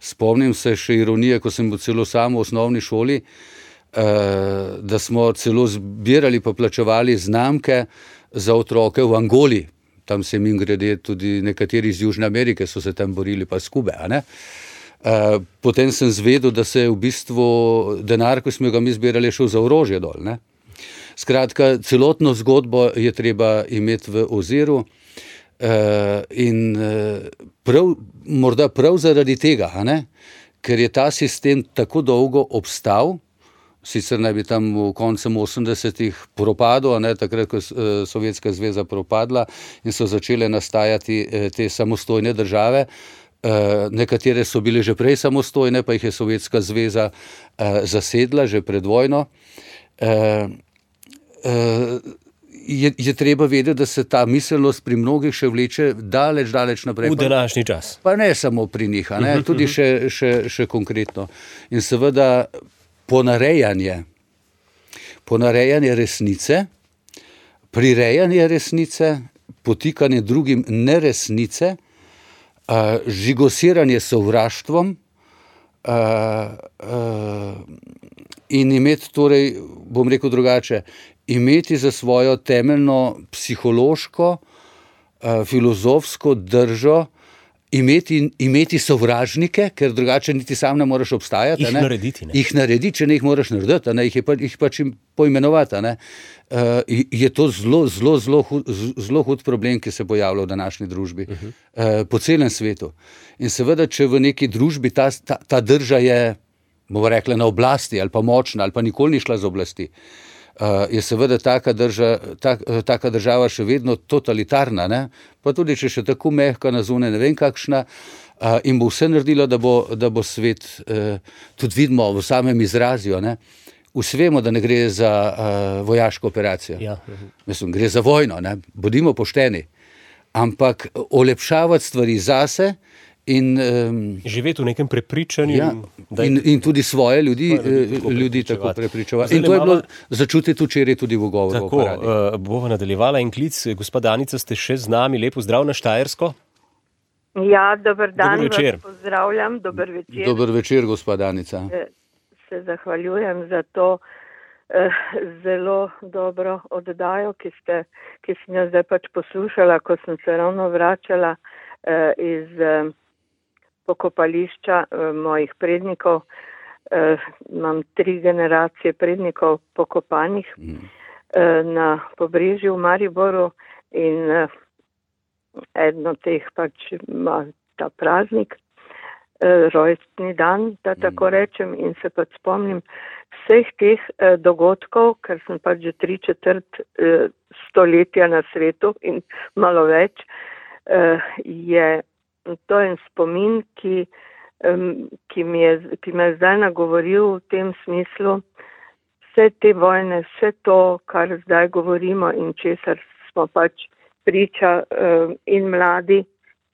Spomnim se še ironije, ko sem bil celo sam v osnovni šoli, da smo celo zbirali pa plačevali znamke za otroke v Angoli. Tam se mimogrede tudi nekateri iz Južne Amerike so se tam borili, pa s Kube. Ne? Potem sem zvedel, da se je v bistvu denar, ko smo ga mi zbirali, šel za orožje dol. Ne? Skratka, celotno zgodbo je treba imeti v oziru in morda prav zaradi tega, ne? Ker je ta sistem tako dolgo obstal, sicer naj bi tam v koncem 80-ih propadel, ne? Takrat, ko je Sovjetska zveza propadla in so začele nastajati te samostojne države, nekatere so bile že prej samostojne, pa jih je Sovjetska zveza zasedla že pred vojno. Je treba vedeti, da se ta miselnost pri mnogih še vleče daleč naprej. V današnji čas. Pa ne samo pri njih, ne? Tudi še konkretno. In seveda ponarejanje resnice, prirejanje resnice, potikanje drugim neresnice, žigosiranje sovraštvom in imeti, torej, bom rekel drugače, imeti za svojo temeljno psihološko, filozofsko držo, imeti sovražnike, ker drugače niti sam ne moreš obstajati. Jih narediti, ne? Jih narediti, če ne jih moraš narediti, jih pač poimenovati. Je to zelo hud problem, ki se pojavlja v današnji družbi, po celem svetu. In seveda, če v neki družbi ta drža je, bomo rekli, na oblasti ali pa močna ali pa nikoli ni šla z oblasti, je seveda taka država še vedno totalitarna, ne? Pa tudi, če še tako mehka na zunaj, ne vem kakšna, in bo vse naredila, da bo svet, tudi vidimo v samem izrazju, ne? Vsi vemo, da ne gre za vojaško operacijo. Ja. Mislim, gre za vojno, ne? Bodimo pošteni. Ampak olepšavati stvari zase in živeti v nekem prepričanju. Ja, in tudi svoje ljudi tako prepričevati. In to je bilo začutiti včeraj tudi v govoru. Tako, bova nadaljevala en klic. Gospa Danica, ste še z nami. Lep pozdrav na Štajersko. Ja, dober dan, dober večer. Vas pozdravljam, dober večer. Dober večer, gospa Danica. Se zahvaljujem za to zelo dobro oddajo, ki sem jo zdaj pač poslušala, ko sem se ravno vračala iz pokopališča mojih prednikov. Imam 3 generacije prednikov pokopanih na Pobrežju v Mariboru in eden od teh pač ima ta praznik, rojstni dan, da tako rečem, in se pač spomnim vseh teh dogodkov, ker sem pač že 3/4 stoletja na svetu in malo več, je to en spomin, ki me je zdaj nagovoril v tem smislu, vse te vojne, vse to, kar zdaj govorimo in česar smo pač priča in mladi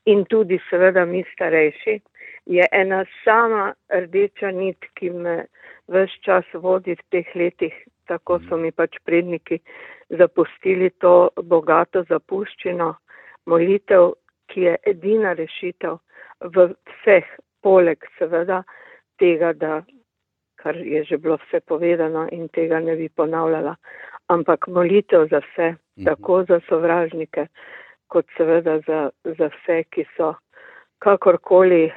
in tudi seveda mi starejši, je ena sama rdeča nit, ki me ves čas vodi v teh letih. Tako so mi pač predniki zapustili to bogato zapuščino, molitev, ki je edina rešitev v vseh, poleg seveda tega, kar je že bilo vse povedano in tega ne bi ponavljala, ampak molitev za vse, tako za sovražnike, kot seveda za vse, ki so kakorkoli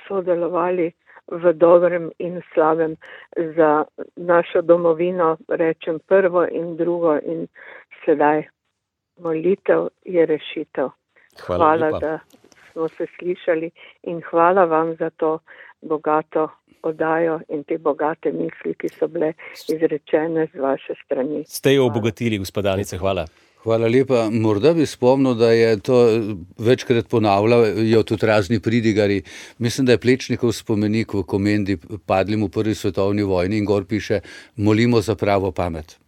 sodelovali v dobrem in slabem za našo domovino, rečem prvo in drugo in sedaj molitev je rešitev. Hvala, da smo se slišali in hvala vam za to bogato oddajo in te bogate misli, ki so bile izrečene z vaše strani. Ste jo obogatili, gospod Danica, hvala. Hvala lepa. Morda bi spomnil, da je to večkrat ponavljajo tudi razni pridigari. Mislim, da je Plečnikov spomenik v Komendi padlim v 1. svetovni vojni in gor piše: molimo za pravo pamet.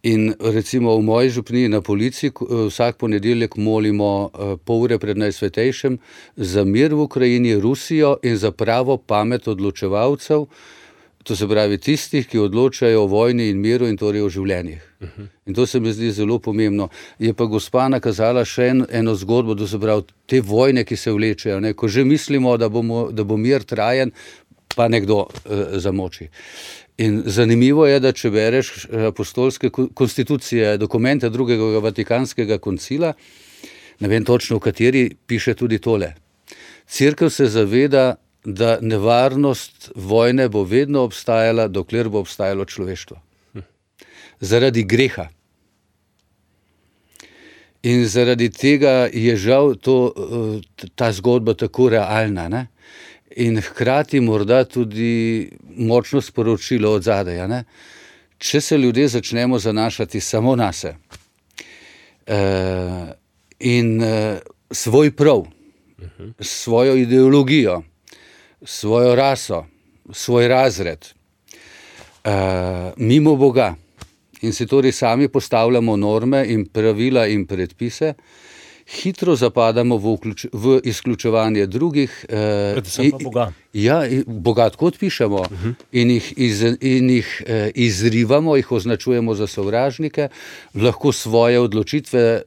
In recimo v moji župniji na Polici vsak ponedeljek molimo pol ure pred Najsvetejšem za mir v Ukrajini, Rusijo in za pravo pamet odločevalcev, to se pravi tistih, ki odločajo o vojni in miru in torej o življenjih. In to se mi zdi zelo pomembno. Je pa gospa nakazala še eno zgodbo, to se pravi te vojne, ki se vlečejo, ne? Ko že mislimo, da bo mir trajen, pa nekdo zamoči. In zanimivo je, da če bereš apostolske konstitucije, dokumente drugega Vatikanskega koncila, ne vem točno v kateri, piše tudi tole. Cerkev se zaveda, da nevarnost vojne bo vedno obstajala, dokler bo obstajalo človeštvo. Zaradi greha. In zaradi tega je žal ta zgodba tako realna, ne? In hkrati morda tudi močno sporočilo od zadaj, ne? Če se ljudje začnemo zanašati samo nase in svoj prav, svojo ideologijo, svojo raso, svoj razred, mimo Boga in si torej sami postavljamo norme in pravila in predpise hitro zapadamo v izključevanje drugih. Predvsem pa Boga. Ja, Boga tako odpišemo in jih izrivamo, jih označujemo za sovražnike, lahko svoje odločitve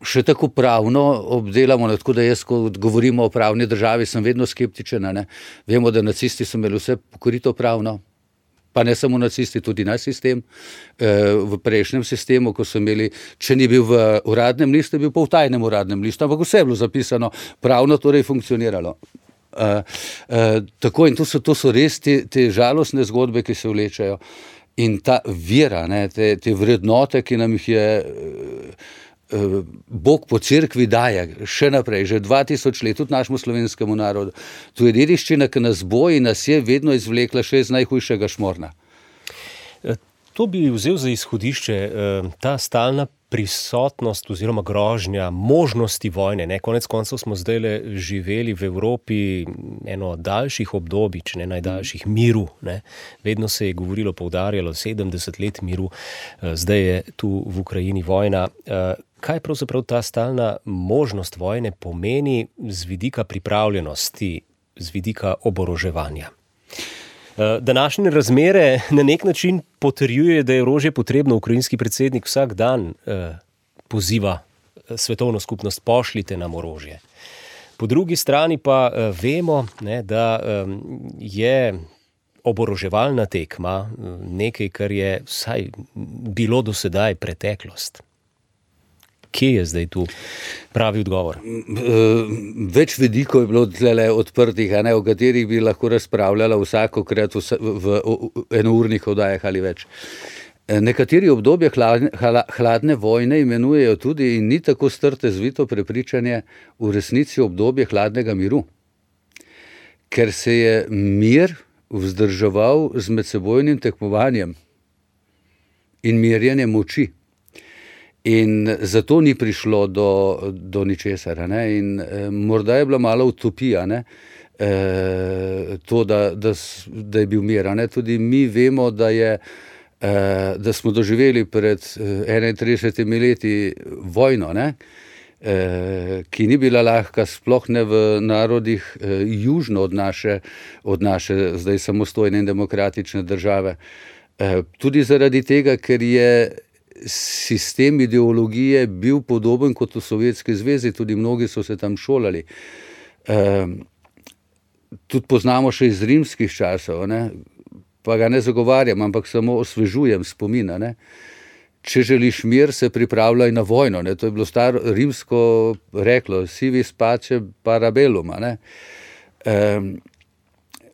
še tako pravno obdelamo, tako da jaz, ko govorimo o pravni državi, sem vedno skeptičen. Ne? Vemo, da nacisti so imeli vse pokorito pravno, pa ne samo nacisti, tudi naš sistem. V prejšnjem sistemu, ko so imeli, če ni bil v uradnem listu, je bil pa v tajnem uradnem listu, ampak vse je bilo zapisano, pravno torej funkcioniralo. Tako in to so res te žalostne zgodbe, ki se vlečejo. In ta vera, ne, te vrednote, ki nam jih je Bog po cerkvi daje še naprej, že 2000 let, tudi našemu slovenskemu narodu. To je dediščina, ki nas bo in nas je vedno izvlekla še iz najhujšega šmorna. To bi vzel za izhodišče, ta stalna prisotnost oziroma grožnja možnosti vojne. Ne? Konec koncev smo zdaj živeli v Evropi eno daljših obdobij, če ne najdaljših, miru. Ne? Vedno se je govorilo, poudarjalo 70 let miru, zdaj je tu v Ukrajini vojna. Kaj pravzaprav ta stalna možnost vojne pomeni z vidika pripravljenosti, z vidika oboroževanja? Današnje razmere na nek način potrjuje, da je orožje potrebno. Ukrajinski predsednik vsak dan poziva svetovno skupnost, pošljite nam orožje. Po drugi strani pa vemo, ne, da je oboroževalna tekma nekaj, kar je vsaj bilo do sedaj preteklost. Kje je zdaj tu pravi odgovor? Več vidikov je bilo tlele odprtih, o katerih bi lahko razpravljala vsakokrat v enournih oddajah ali več. Nekateri obdobje hladne vojne imenujejo tudi, in ni tako strte zvito prepričanje, v resnici obdobje hladnega miru. Ker se je mir vzdrževal z medsebojnim tekmovanjem in merjenjem moči. In zato ni prišlo do ničesar. In morda je bila malo utopija, to, da je bil mir. Tudi mi vemo, da smo doživeli pred 31 leti vojno, ki ni bila lahka, sploh ne v narodih južno od naše zdaj samostojne in demokratične države. Tudi zaradi tega, ker je sistem ideologije bil podoben kot v Sovjetski zvezi, tudi mnogi so se tam šolali. Tudi poznamo še iz rimskih časov, pa ga ne zagovarjam, ampak samo osvežujem spomina. Če želiš mir, se pripravljaj na vojno. To je bilo staro rimsko reklo, si vis pace para bellum.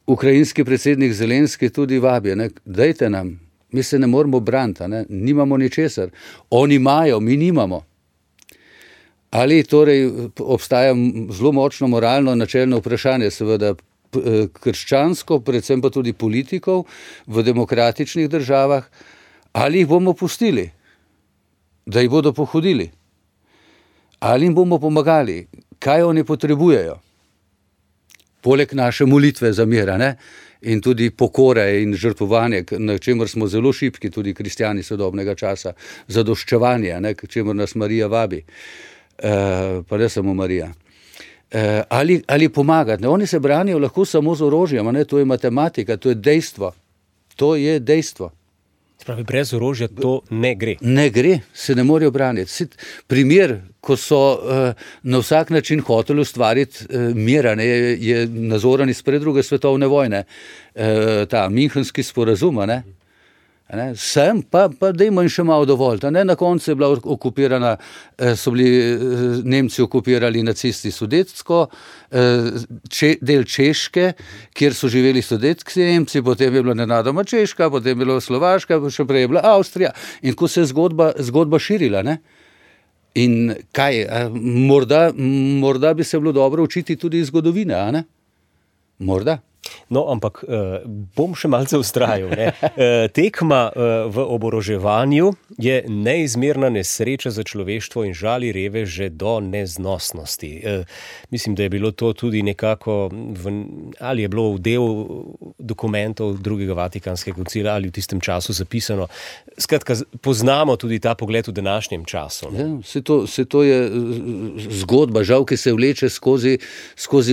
Ukrajinski predsednik Zelenski tudi vabi, dajte nam. Mi se ne moramo braniti, nimamo ničesar. Oni imajo, mi nimamo. Ali torej obstaja zelo močno moralno načelno vprašanje, seveda krščansko, predvsem pa tudi politikov v demokratičnih državah, ali jih bomo pustili, da jih bodo pohodili, ali jim bomo pomagali, kaj oni potrebujejo. Poleg naše molitve za mir, in tudi pokore in žrtvovanje, na čemer smo zelo šibki, tudi kristjani sodobnega časa, zadoščevanje, k čemer nas Marija vabi, pa ne samo Marija. Ali pomagati. Oni se branijo lahko samo z orožjem, to je matematika, to je dejstvo. To je dejstvo. Spravi, brez orožja to ne gre. Ne gre, se ne morejo braniti. Primer, ko so na vsak način hoteli ustvariti mir, je nazoren iz pred druge svetovne vojne, ta Münchenski sporazum, sem, pa dajmo jim še malo dovolj. Na koncu je bila okupirana, so bili Nemci okupirali nacisti Sudetsko, del Češke, kjer so živeli Sudetski Nemci, potem je bila nenadoma Češka, potem je bila Slovaška, še prej je bila Avstrija. In ko se je zgodba širila, in kaj, morda bi se bilo dobro učiti tudi iz zgodovine, Morda. No, ampak bom še malce vztrajal. Tekma v oboroževanju je neizmerna nesreča za človeštvo in žali reveže do neznosnosti. Mislim, da je bilo to tudi nekako, ali je bilo v del dokumentov drugega Vatikanskega koncila ali v tistem času zapisano. Skratka, poznamo tudi ta pogled v današnjem času. Ja, se to je zgodba, žal, ki se vleče skozi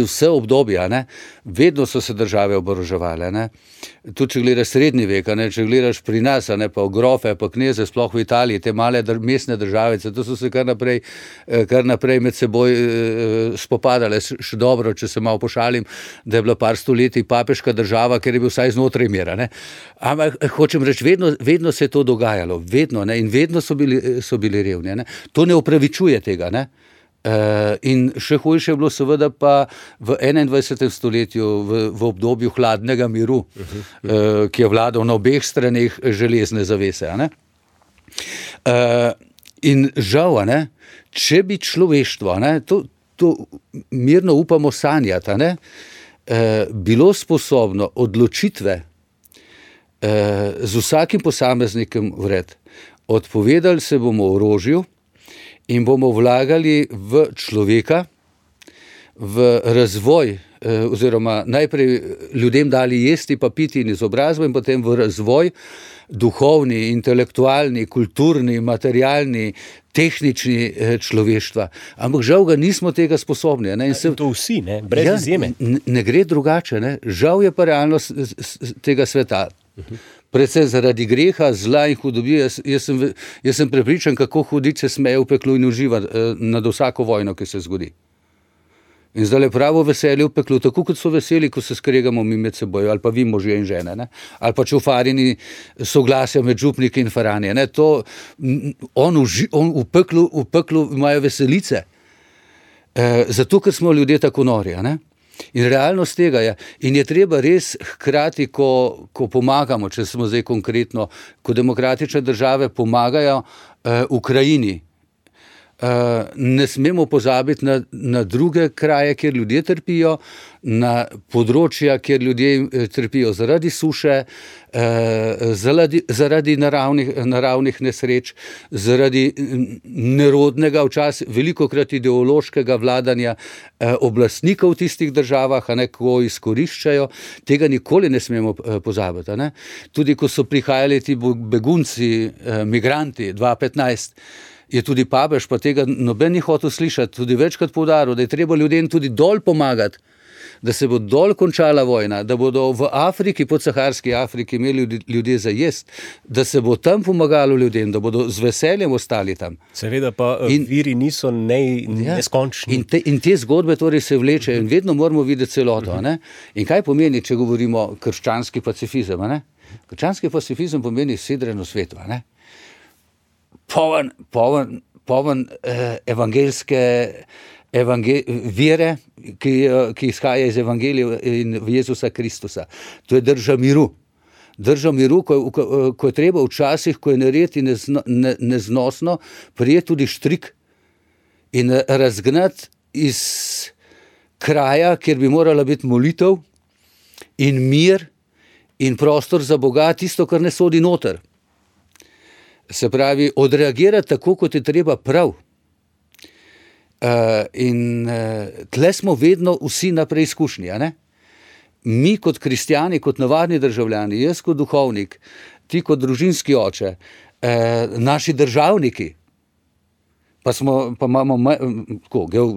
vse obdobja. Ne? Vedno so se države oboroževale. Ne? Tudi če gledaš srednji vek, ne? Če gledaš pri nas, ne? Pa grofe, pa kneze, sploh v Italiji, te male mestne državice, to so se kar naprej med seboj spopadale. Še dobro, če se malo pošalim, da je bila par stoletij papeška država, ker je bil vsaj znotraj mira. Ne? Ampak hočem reči, vedno se je to dogajalo, vedno, ne? In vedno so bili revni. Ne? To ne opravičuje tega, ne? In še hujše je bilo seveda pa v 21. stoletju, v obdobju hladnega miru, ki je vladal na obeh straneh železne zavese. Ne? In žal, ne, če bi človeštvo, ne, to mirno upamo sanjati, ne, bilo sposobno odločitve z vsakim posameznikom vred, odpovedali se bomo orožju in bomo vlagali v človeka, v razvoj, oziroma najprej ljudem dali jesti pa piti in izobrazbo in potem v razvoj duhovni, intelektualni, kulturni, materialni, tehnični človeštva. Ampak žal ga nismo tega sposobni. Ne? To vsi, ne? Brez izjeme. Ne gre drugače. Ne? Žal je pa realnost tega sveta. Predvsem zaradi greha, zla in hudobije. Jaz sem prepričan, kako hudič se smeje v peklu in uživa nad vsako vojno, ki se zgodi. In zdaj je pravo veselje v peklu, tako kot so veseli, ko se skregamo mi med seboj, ali pa vi možje in žene, ne? Ali pa čufarini soglasja med župniki in faranje. Ne? On v peklu imajo veselice, zato ker smo ljudje tako nori. Ne? In realnost tega je. In je treba res hkrati, ko pomagamo, če smo zdaj konkretno, ko demokratične države pomagajo Ukrajini, ne smemo pozabiti na druge kraje, kjer ljudje trpijo, na področja, kjer ljudje trpijo zaradi suše, zaradi naravnih nesreč, zaradi nerodnega, včasih velikokrat ideološkega vladanja oblastnikov v tistih državah, ko izkoriščajo. Tega nikoli ne smemo pozabiti. Ne? Tudi ko so prihajali ti begunci, migranti 2015, je tudi papež, pa tega noben ni hotel slišati, tudi večkrat poudaril, da je treba ljudem tudi dol pomagati, da se bo dol končala vojna, da bodo v Afriki, podsaharski Afriki imeli ljudje za jest, da se bo tam pomagalo ljudem, da bodo z veseljem ostali tam. Seveda pa viri niso neskončni. In te zgodbe torej se vlečejo in vedno moramo videti celoto. Ne? In kaj pomeni, če govorimo krščanski pacifizem? Ne? Krščanski pacifizem pomeni sidreno svetu. Ne? Poln evangeljske vere, ki izhaja iz Evangelija in Jezusa Kristusa. To je drža miru. Drža miru, ko je treba včasih, ko je narediti neznosno, prijeti tudi štrik in razgnati iz kraja, kjer bi morala biti molitev in mir in prostor za Boga, tisto, kar ne sodi noter. Se pravi, odreagirati tako, kot je treba prav. In tle smo vedno vsi na preizkušnji. Mi kot kristjani, kot navadni državljani, jaz kot duhovnik, ti kot družinski oče, naši državniki, pa imamo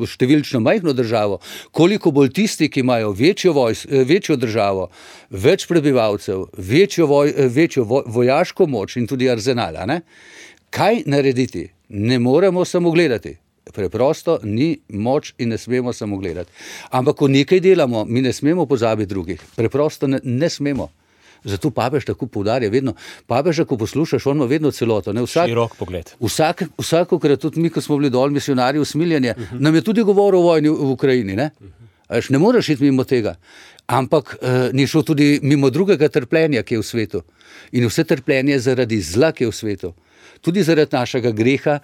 številčno majhno državo, koliko bolj tisti, ki imajo večjo državo, več prebivalcev, večjo vojaško moč in tudi arzenal. Kaj narediti? Ne moremo samo gledati. Preprosto ni moč in ne smemo samo gledati. Ampak ko nekaj delamo, mi ne smemo pozabiti drugih. Preprosto ne smemo. Zato papež tako poudarja vedno. Papeža, ko poslušaš, on ima vedno celoto. Širok pogled. Vsakokrat, tudi mi, ko smo bili dol misionarji v Smiljanje, nam je tudi govoril o vojni v Ukrajini. Ne moreš iti mimo tega. Ampak ni šel tudi mimo drugega trpljenja, ki je v svetu. In vse trpljenje zaradi zla, ki je v svetu. Tudi zaradi našega greha,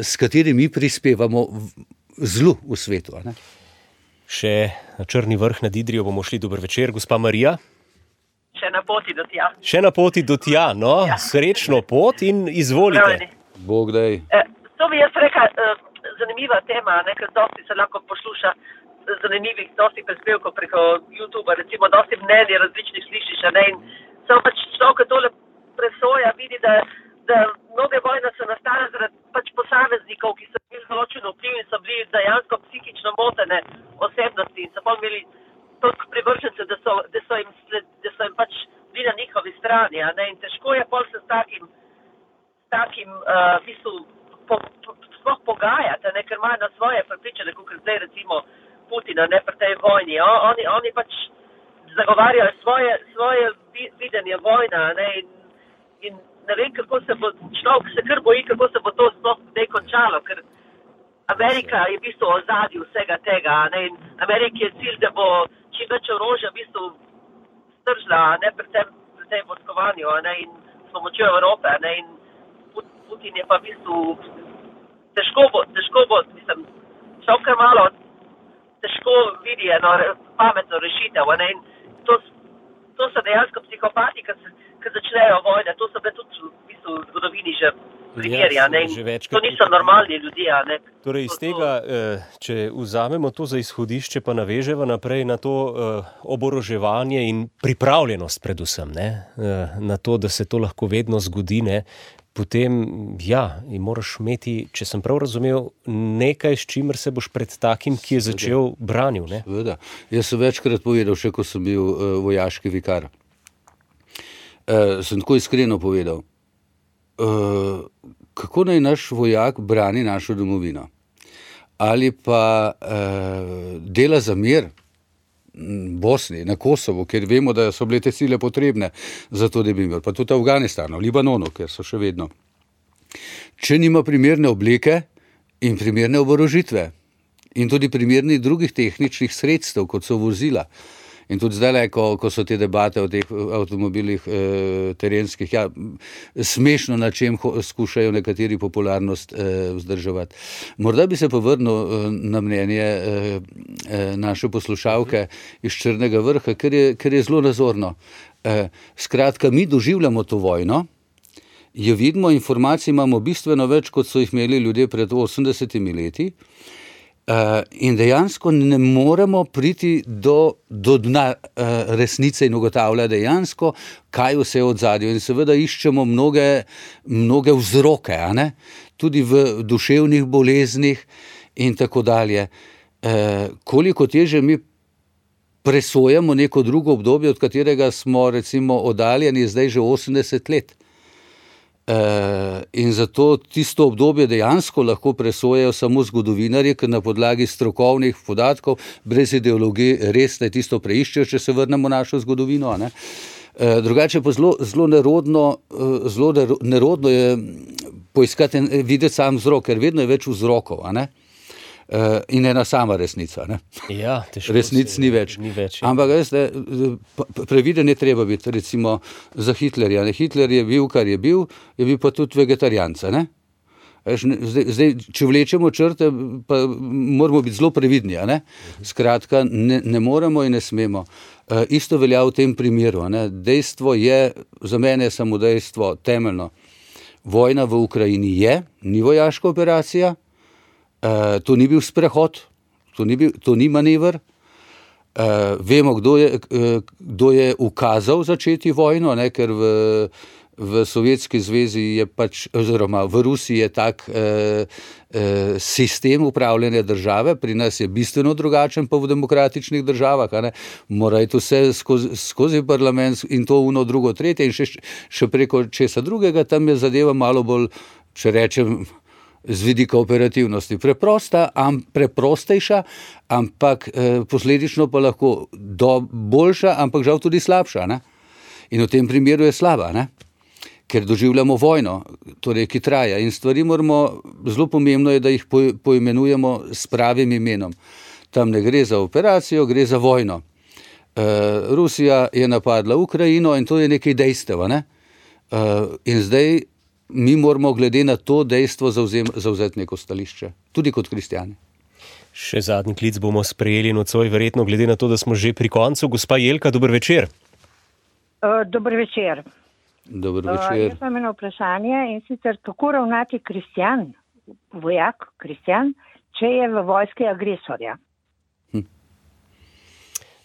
s katerim mi prispevamo zlu v svetu. Še na Črni vrh nad Idrijo bomo šli. Dober večer, gospa Marija. Še na poti do tja. Še na poti do tja, no, ja. Srečno pot in izvolite. Bog daj. To bi jaz rekla, zanimiva tema, ker dosti se lahko posluša zanimivih, dosti prispevkov preko YouTubea, recimo dosti mnenj različnih slišiš, in samo pač človek tole presoja, vidi, da mnoge vojne so nastale zaradi pač posameznikov, ki so bili določeno vpliv in so bili dejansko psihično motene osebnosti in so pa imeli toliko privržence, da so jim pač bili na njihovi strani, in težko je pol se s takim v bistvu sploh pogajati, ker imajo na svoje prepričane, kot zdaj recimo Putina, pri tej vojni. Oni pač zagovarjajo svoje videnje vojna, in ne vem, kako se bo, človek se kar boji, kako se bo to sploh zdaj končalo, ker Amerika je v bistvu v ozadju vsega tega, in Ameriki je cilj, da bo čim več orožja v bistvu stržila, pri tem vojskovanju, in s pomočjo Evrope, in Putin je pa v bistvu težko bo, mislim, človek kar malo težko vidi eno pametno rešitev, in to so dejansko psihopati, ki začnejo vojne, to so bile tudi v bistvu v zgodovini že primeri, to niso normalni ljudje. Torej iz tega, če vzamemo to za izhodišče, pa naveževa naprej na to oboroževanje in pripravljenost predvsem, na to, da se to lahko vedno zgodi, potem, in moraš imeti, če sem prav razumel, nekaj, s čimer se boš pred takim, ki je začel branil, Seveda. Jaz sem večkrat povedal, še ko sem bil vojaški vikar. Sem tako iskreno povedal, kako naj naš vojak brani našo domovino? Ali pa dela za mir Bosni, na Kosovo, ker vemo, da so bile te sile potrebne za to, da bi imeli, pa tudi v Afganistanu, Libanonu, ker so še vedno. Če nima primerne obleke in primerne oborožitve in tudi primernih drugih tehničnih sredstev, kot so vozila, in tudi zdaj, ko so te debate o teh avtomobilih terenskih, smešno, na čem skušajo nekateri popularnost vzdrževati. Morda bi se povrnil na mnenje naše poslušalke iz Črnega vrha, ker je zelo nazorno. Skratka, mi doživljamo to vojno, jo vidimo, informacij imamo bistveno več, kot so jih imeli ljudje pred 80 leti, in dejansko ne moremo priti do dna resnice in ugotavlja dejansko, kaj vse je od zadju. In seveda iščemo mnoge vzroke, tudi v duševnih boleznih in tako dalje. Koliko teže mi presojamo neko drugo obdobje, od katerega smo recimo oddaljeni zdaj že 80 let. In zato tisto obdobje dejansko lahko presojajo samo zgodovinarji, ker na podlagi strokovnih podatkov, brez ideologije, res ne tisto preiščejo, če se vrnemo v našo zgodovino. Drugače pa zelo nerodno je poiskati in videti sam vzrok, ker vedno je več vzrokov, in ena sama resnica. Resnic ni več. Ampak previden je treba biti, recimo za Hitlerja. Hitler je bil, kar je bil pa tudi vegetarijanca. Zdaj, če vlečemo črte, pa moramo biti zelo previdni. Skratka, ne moremo in ne smemo. Isto velja v tem primeru. Dejstvo je, za mene je samo dejstvo temeljno. Vojna v Ukrajini ni vojaška operacija, to ni bil sprehod, to ni manever. Vemo, kdo je ukazal začeti vojno, ker v Sovjetski zvezi je oziroma v Rusiji je tak sistem upravljanja države, pri nas je bistveno drugačen pa v demokratičnih državah. Mora iti vse skozi parlament in to uno, drugo, tretje in še preko česa drugega, tam je zadeva malo bolj, če rečem, z vidika operativnosti preprostejša, ampak posledično pa lahko boljša, ampak žal tudi slabša. In v tem primeru je slaba, ker doživljamo vojno, torej, ki traja. In stvari moramo, zelo pomembno je, da jih poimenujemo s pravim imenom. Tam ne gre za operacijo, gre za vojno. Rusija je napadla Ukrajino in to je nekaj dejstev. In zdaj mi moramo glede na to dejstvo zavzeti neko stališče, tudi kot kristjani. Še zadnji klic bomo sprejeli nocoj, verjetno glede na to, da smo že pri koncu. Gospa Jelka, dober večer. Dober večer. Dober večer. Jaz imam eno vprašanje in sicer kako ravnati kristjan, vojak, kristjan, če je v vojski agresorja?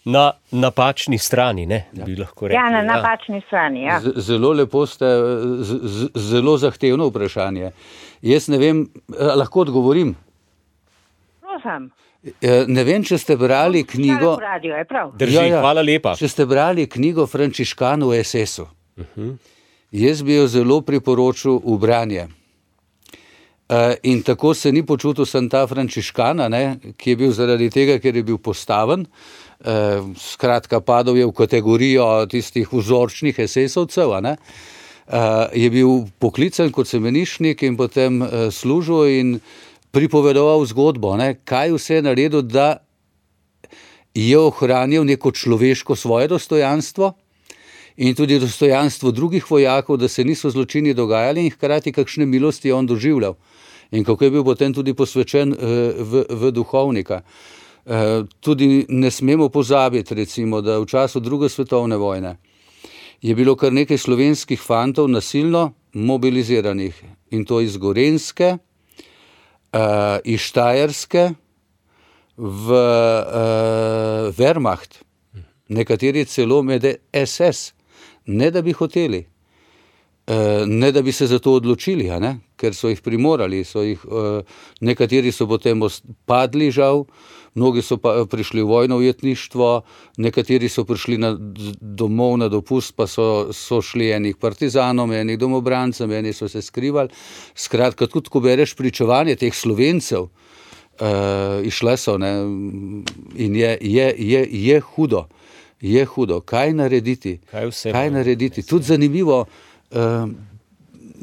Na napačni strani, ne? Bi lahko rekli. Ja, na napačni strani, ja. Zelo lepo ste, zelo zahtevno vprašanje. Jaz ne vem, lahko odgovorim? Ne vem, če ste brali knjigo... Drži, hvala lepa. Če ste brali knjigo Frančiškanov v SS-u. Jaz bi jo zelo priporočil v branje. In tako se ni počutil sem ta Frančiškana, ki je bil zaradi tega, ker je bil postaven, skratka padal je v kategorijo tistih vzorčnih SS-ovcev, je bil poklican kot semenišnik in potem služil in pripovedoval zgodbo, kaj vse je naredil, da je ohranil neko človeško svoje dostojanstvo in tudi dostojanstvo drugih vojakov, da se niso zločini dogajali in hkrati kakšne milosti je on doživljal. In kako je bil potem tudi posvečen v duhovnika. Tudi ne smemo pozabiti, recimo, da v času druge svetovne vojne je bilo kar nekaj slovenskih fantov nasilno mobiliziranih in to iz Gorenjske, iz Štajerske v Wehrmacht, nekateri celo med SS, ne da bi hoteli, ne da bi se za to odločili, ker so jih primorali, nekateri so potem padli žal, mnogi so pa prišli v vojno ujetništvo, nekateri so prišli domov na dopust, pa so šli enih partizanom, enih domobrancem, eni so se skrivali. Skratka, tudi ko bereš pričevanje teh Slovencev, išle so, in je hudo, kaj narediti, kaj narediti. Tudi zanimivo,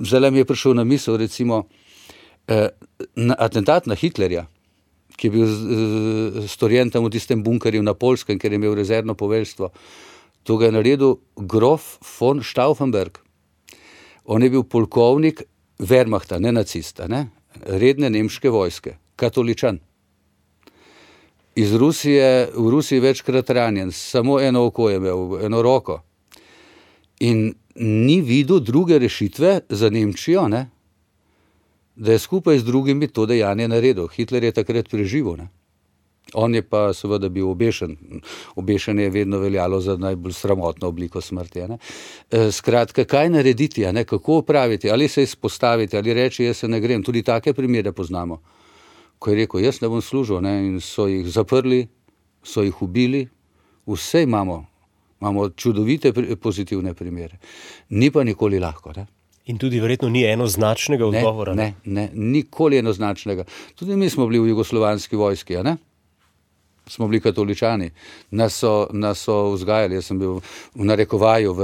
zdaj mi je prišel na misel, recimo, atentat na Hitlerja, ki je bil storjen tam v tistem bunkerju na Poljskem, ker je imel rezervno poveljstvo. To ga je naredil grof von Stauffenberg. On je bil polkovnik Wehrmachta, ne nacista, redne nemške vojske, katoličan. V Rusiji večkrat ranjen, samo eno oko je imel, eno roko. In ni videl druge rešitve za Nemčijo, da je skupaj z drugimi to dejanje naredil. Hitler je takrat preživel. On je pa seveda bil obešen. Obešanje je vedno veljalo za najbolj sramotno obliko smrti. Skratka, kaj narediti, kako opraviti, ali se izpostaviti, ali reči, jaz se ne grem. Tudi take primere poznamo. Ko je rekel, jaz ne bom služil, in so jih zaprli, so jih ubili, vse imamo čudovite pozitivne primere. Ni pa nikoli lahko, In tudi verjetno ni enoznačnega odgovora. Ne, nikoli enoznačnega. Tudi mi smo bili v jugoslovanski vojski, Smo bili katoličani. Nas so vzgajali, jaz sem bil v narekovaju v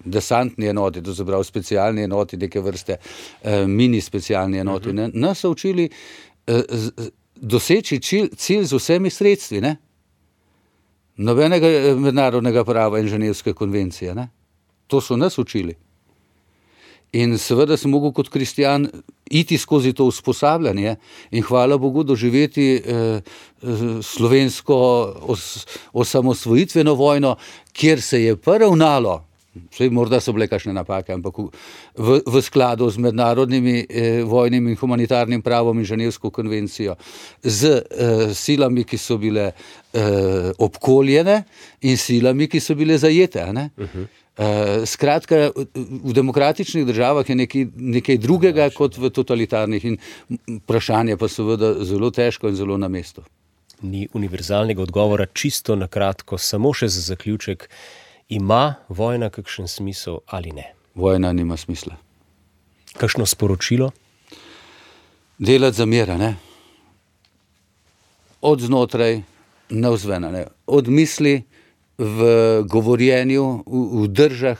desantni enoti, to se pravi specialni enoti, neke vrste mini specialni enoti. Nas so učili doseči cilj z vsemi sredstvi, Nobenega mednarodnega prava in ženevske konvencije, To so nas učili. In seveda sem mogel kot kristjan iti skozi to usposabljanje in hvala Bogu doživeti slovensko osamosvojitveno vojno, kjer se je pa ravnalo, morda so bile kakšne napake, ampak v skladu z mednarodnimi vojnim in humanitarnim pravom in ženevsko konvencijo, z silami, ki so bile obkoljene in silami, ki so bile zajete, Skratka, v demokratičnih državah je nekaj drugega kot v totalitarnih in vprašanje pa seveda zelo težko in zelo na mestu. Ni univerzalnega odgovora, čisto na kratko, samo še za zaključek. Ima vojna kakšen smisel ali ne? Vojna nima smisla. Kakšno sporočilo? Delati za mir, Od znotraj navzven, Od misli v govorjenju, v držah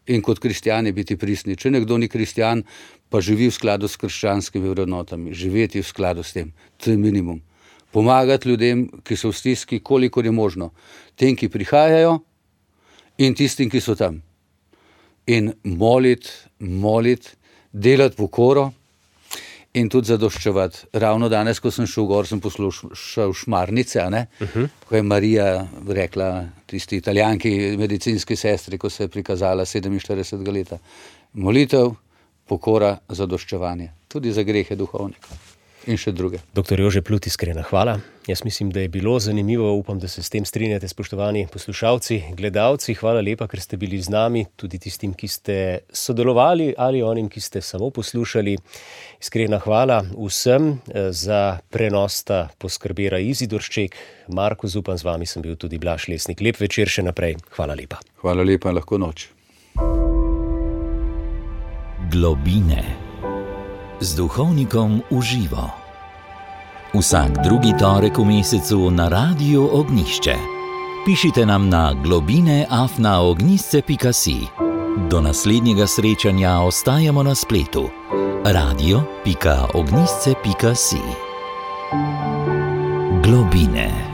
in kot kristjani biti pristni. Če nekdo ni kristjan, pa živi v skladu s krščanskimi vrednotami, živeti v skladu s tem, to je minimum. Pomagati ljudem, ki so v stiski, kolikor je možno. Tem, ki prihajajo in tistim, ki so tam. In moliti, delati pokoro in tudi zadoščevati. Ravno danes, ko sem šel gor, sem poslušal Šmarnice, ko je Marija rekla tisti Italijanki, medicinski sestri, ko se je prikazala 47 leta. Molitev, pokora, zadoščevanje. Tudi za grehe duhovnika. In še druge. Dr. Jože Plut, iskrena hvala. Jaz mislim, da je bilo zanimivo, upam, da se s tem strinjate, spoštovani poslušalci, gledalci. Hvala lepa, ker ste bili z nami, tudi tistim, ki ste sodelovali ali onim, ki ste samo poslušali. Iskrena hvala vsem. Za prenos sta poskrbela Izidor Šček, Marko Zupan, z vami sem bil tudi Blaž Lesnik. Lep večer še naprej. Hvala lepa. Hvala lepa in lahko noč. Globine. Z duhovnikom v živo. Vsak drugi torek v mesecu na Radiu Ognjišče. Pišite nam na globine@ognjišče.si. Do naslednjega srečanja ostajamo na spletu. radio.ognjišče.si. Globine.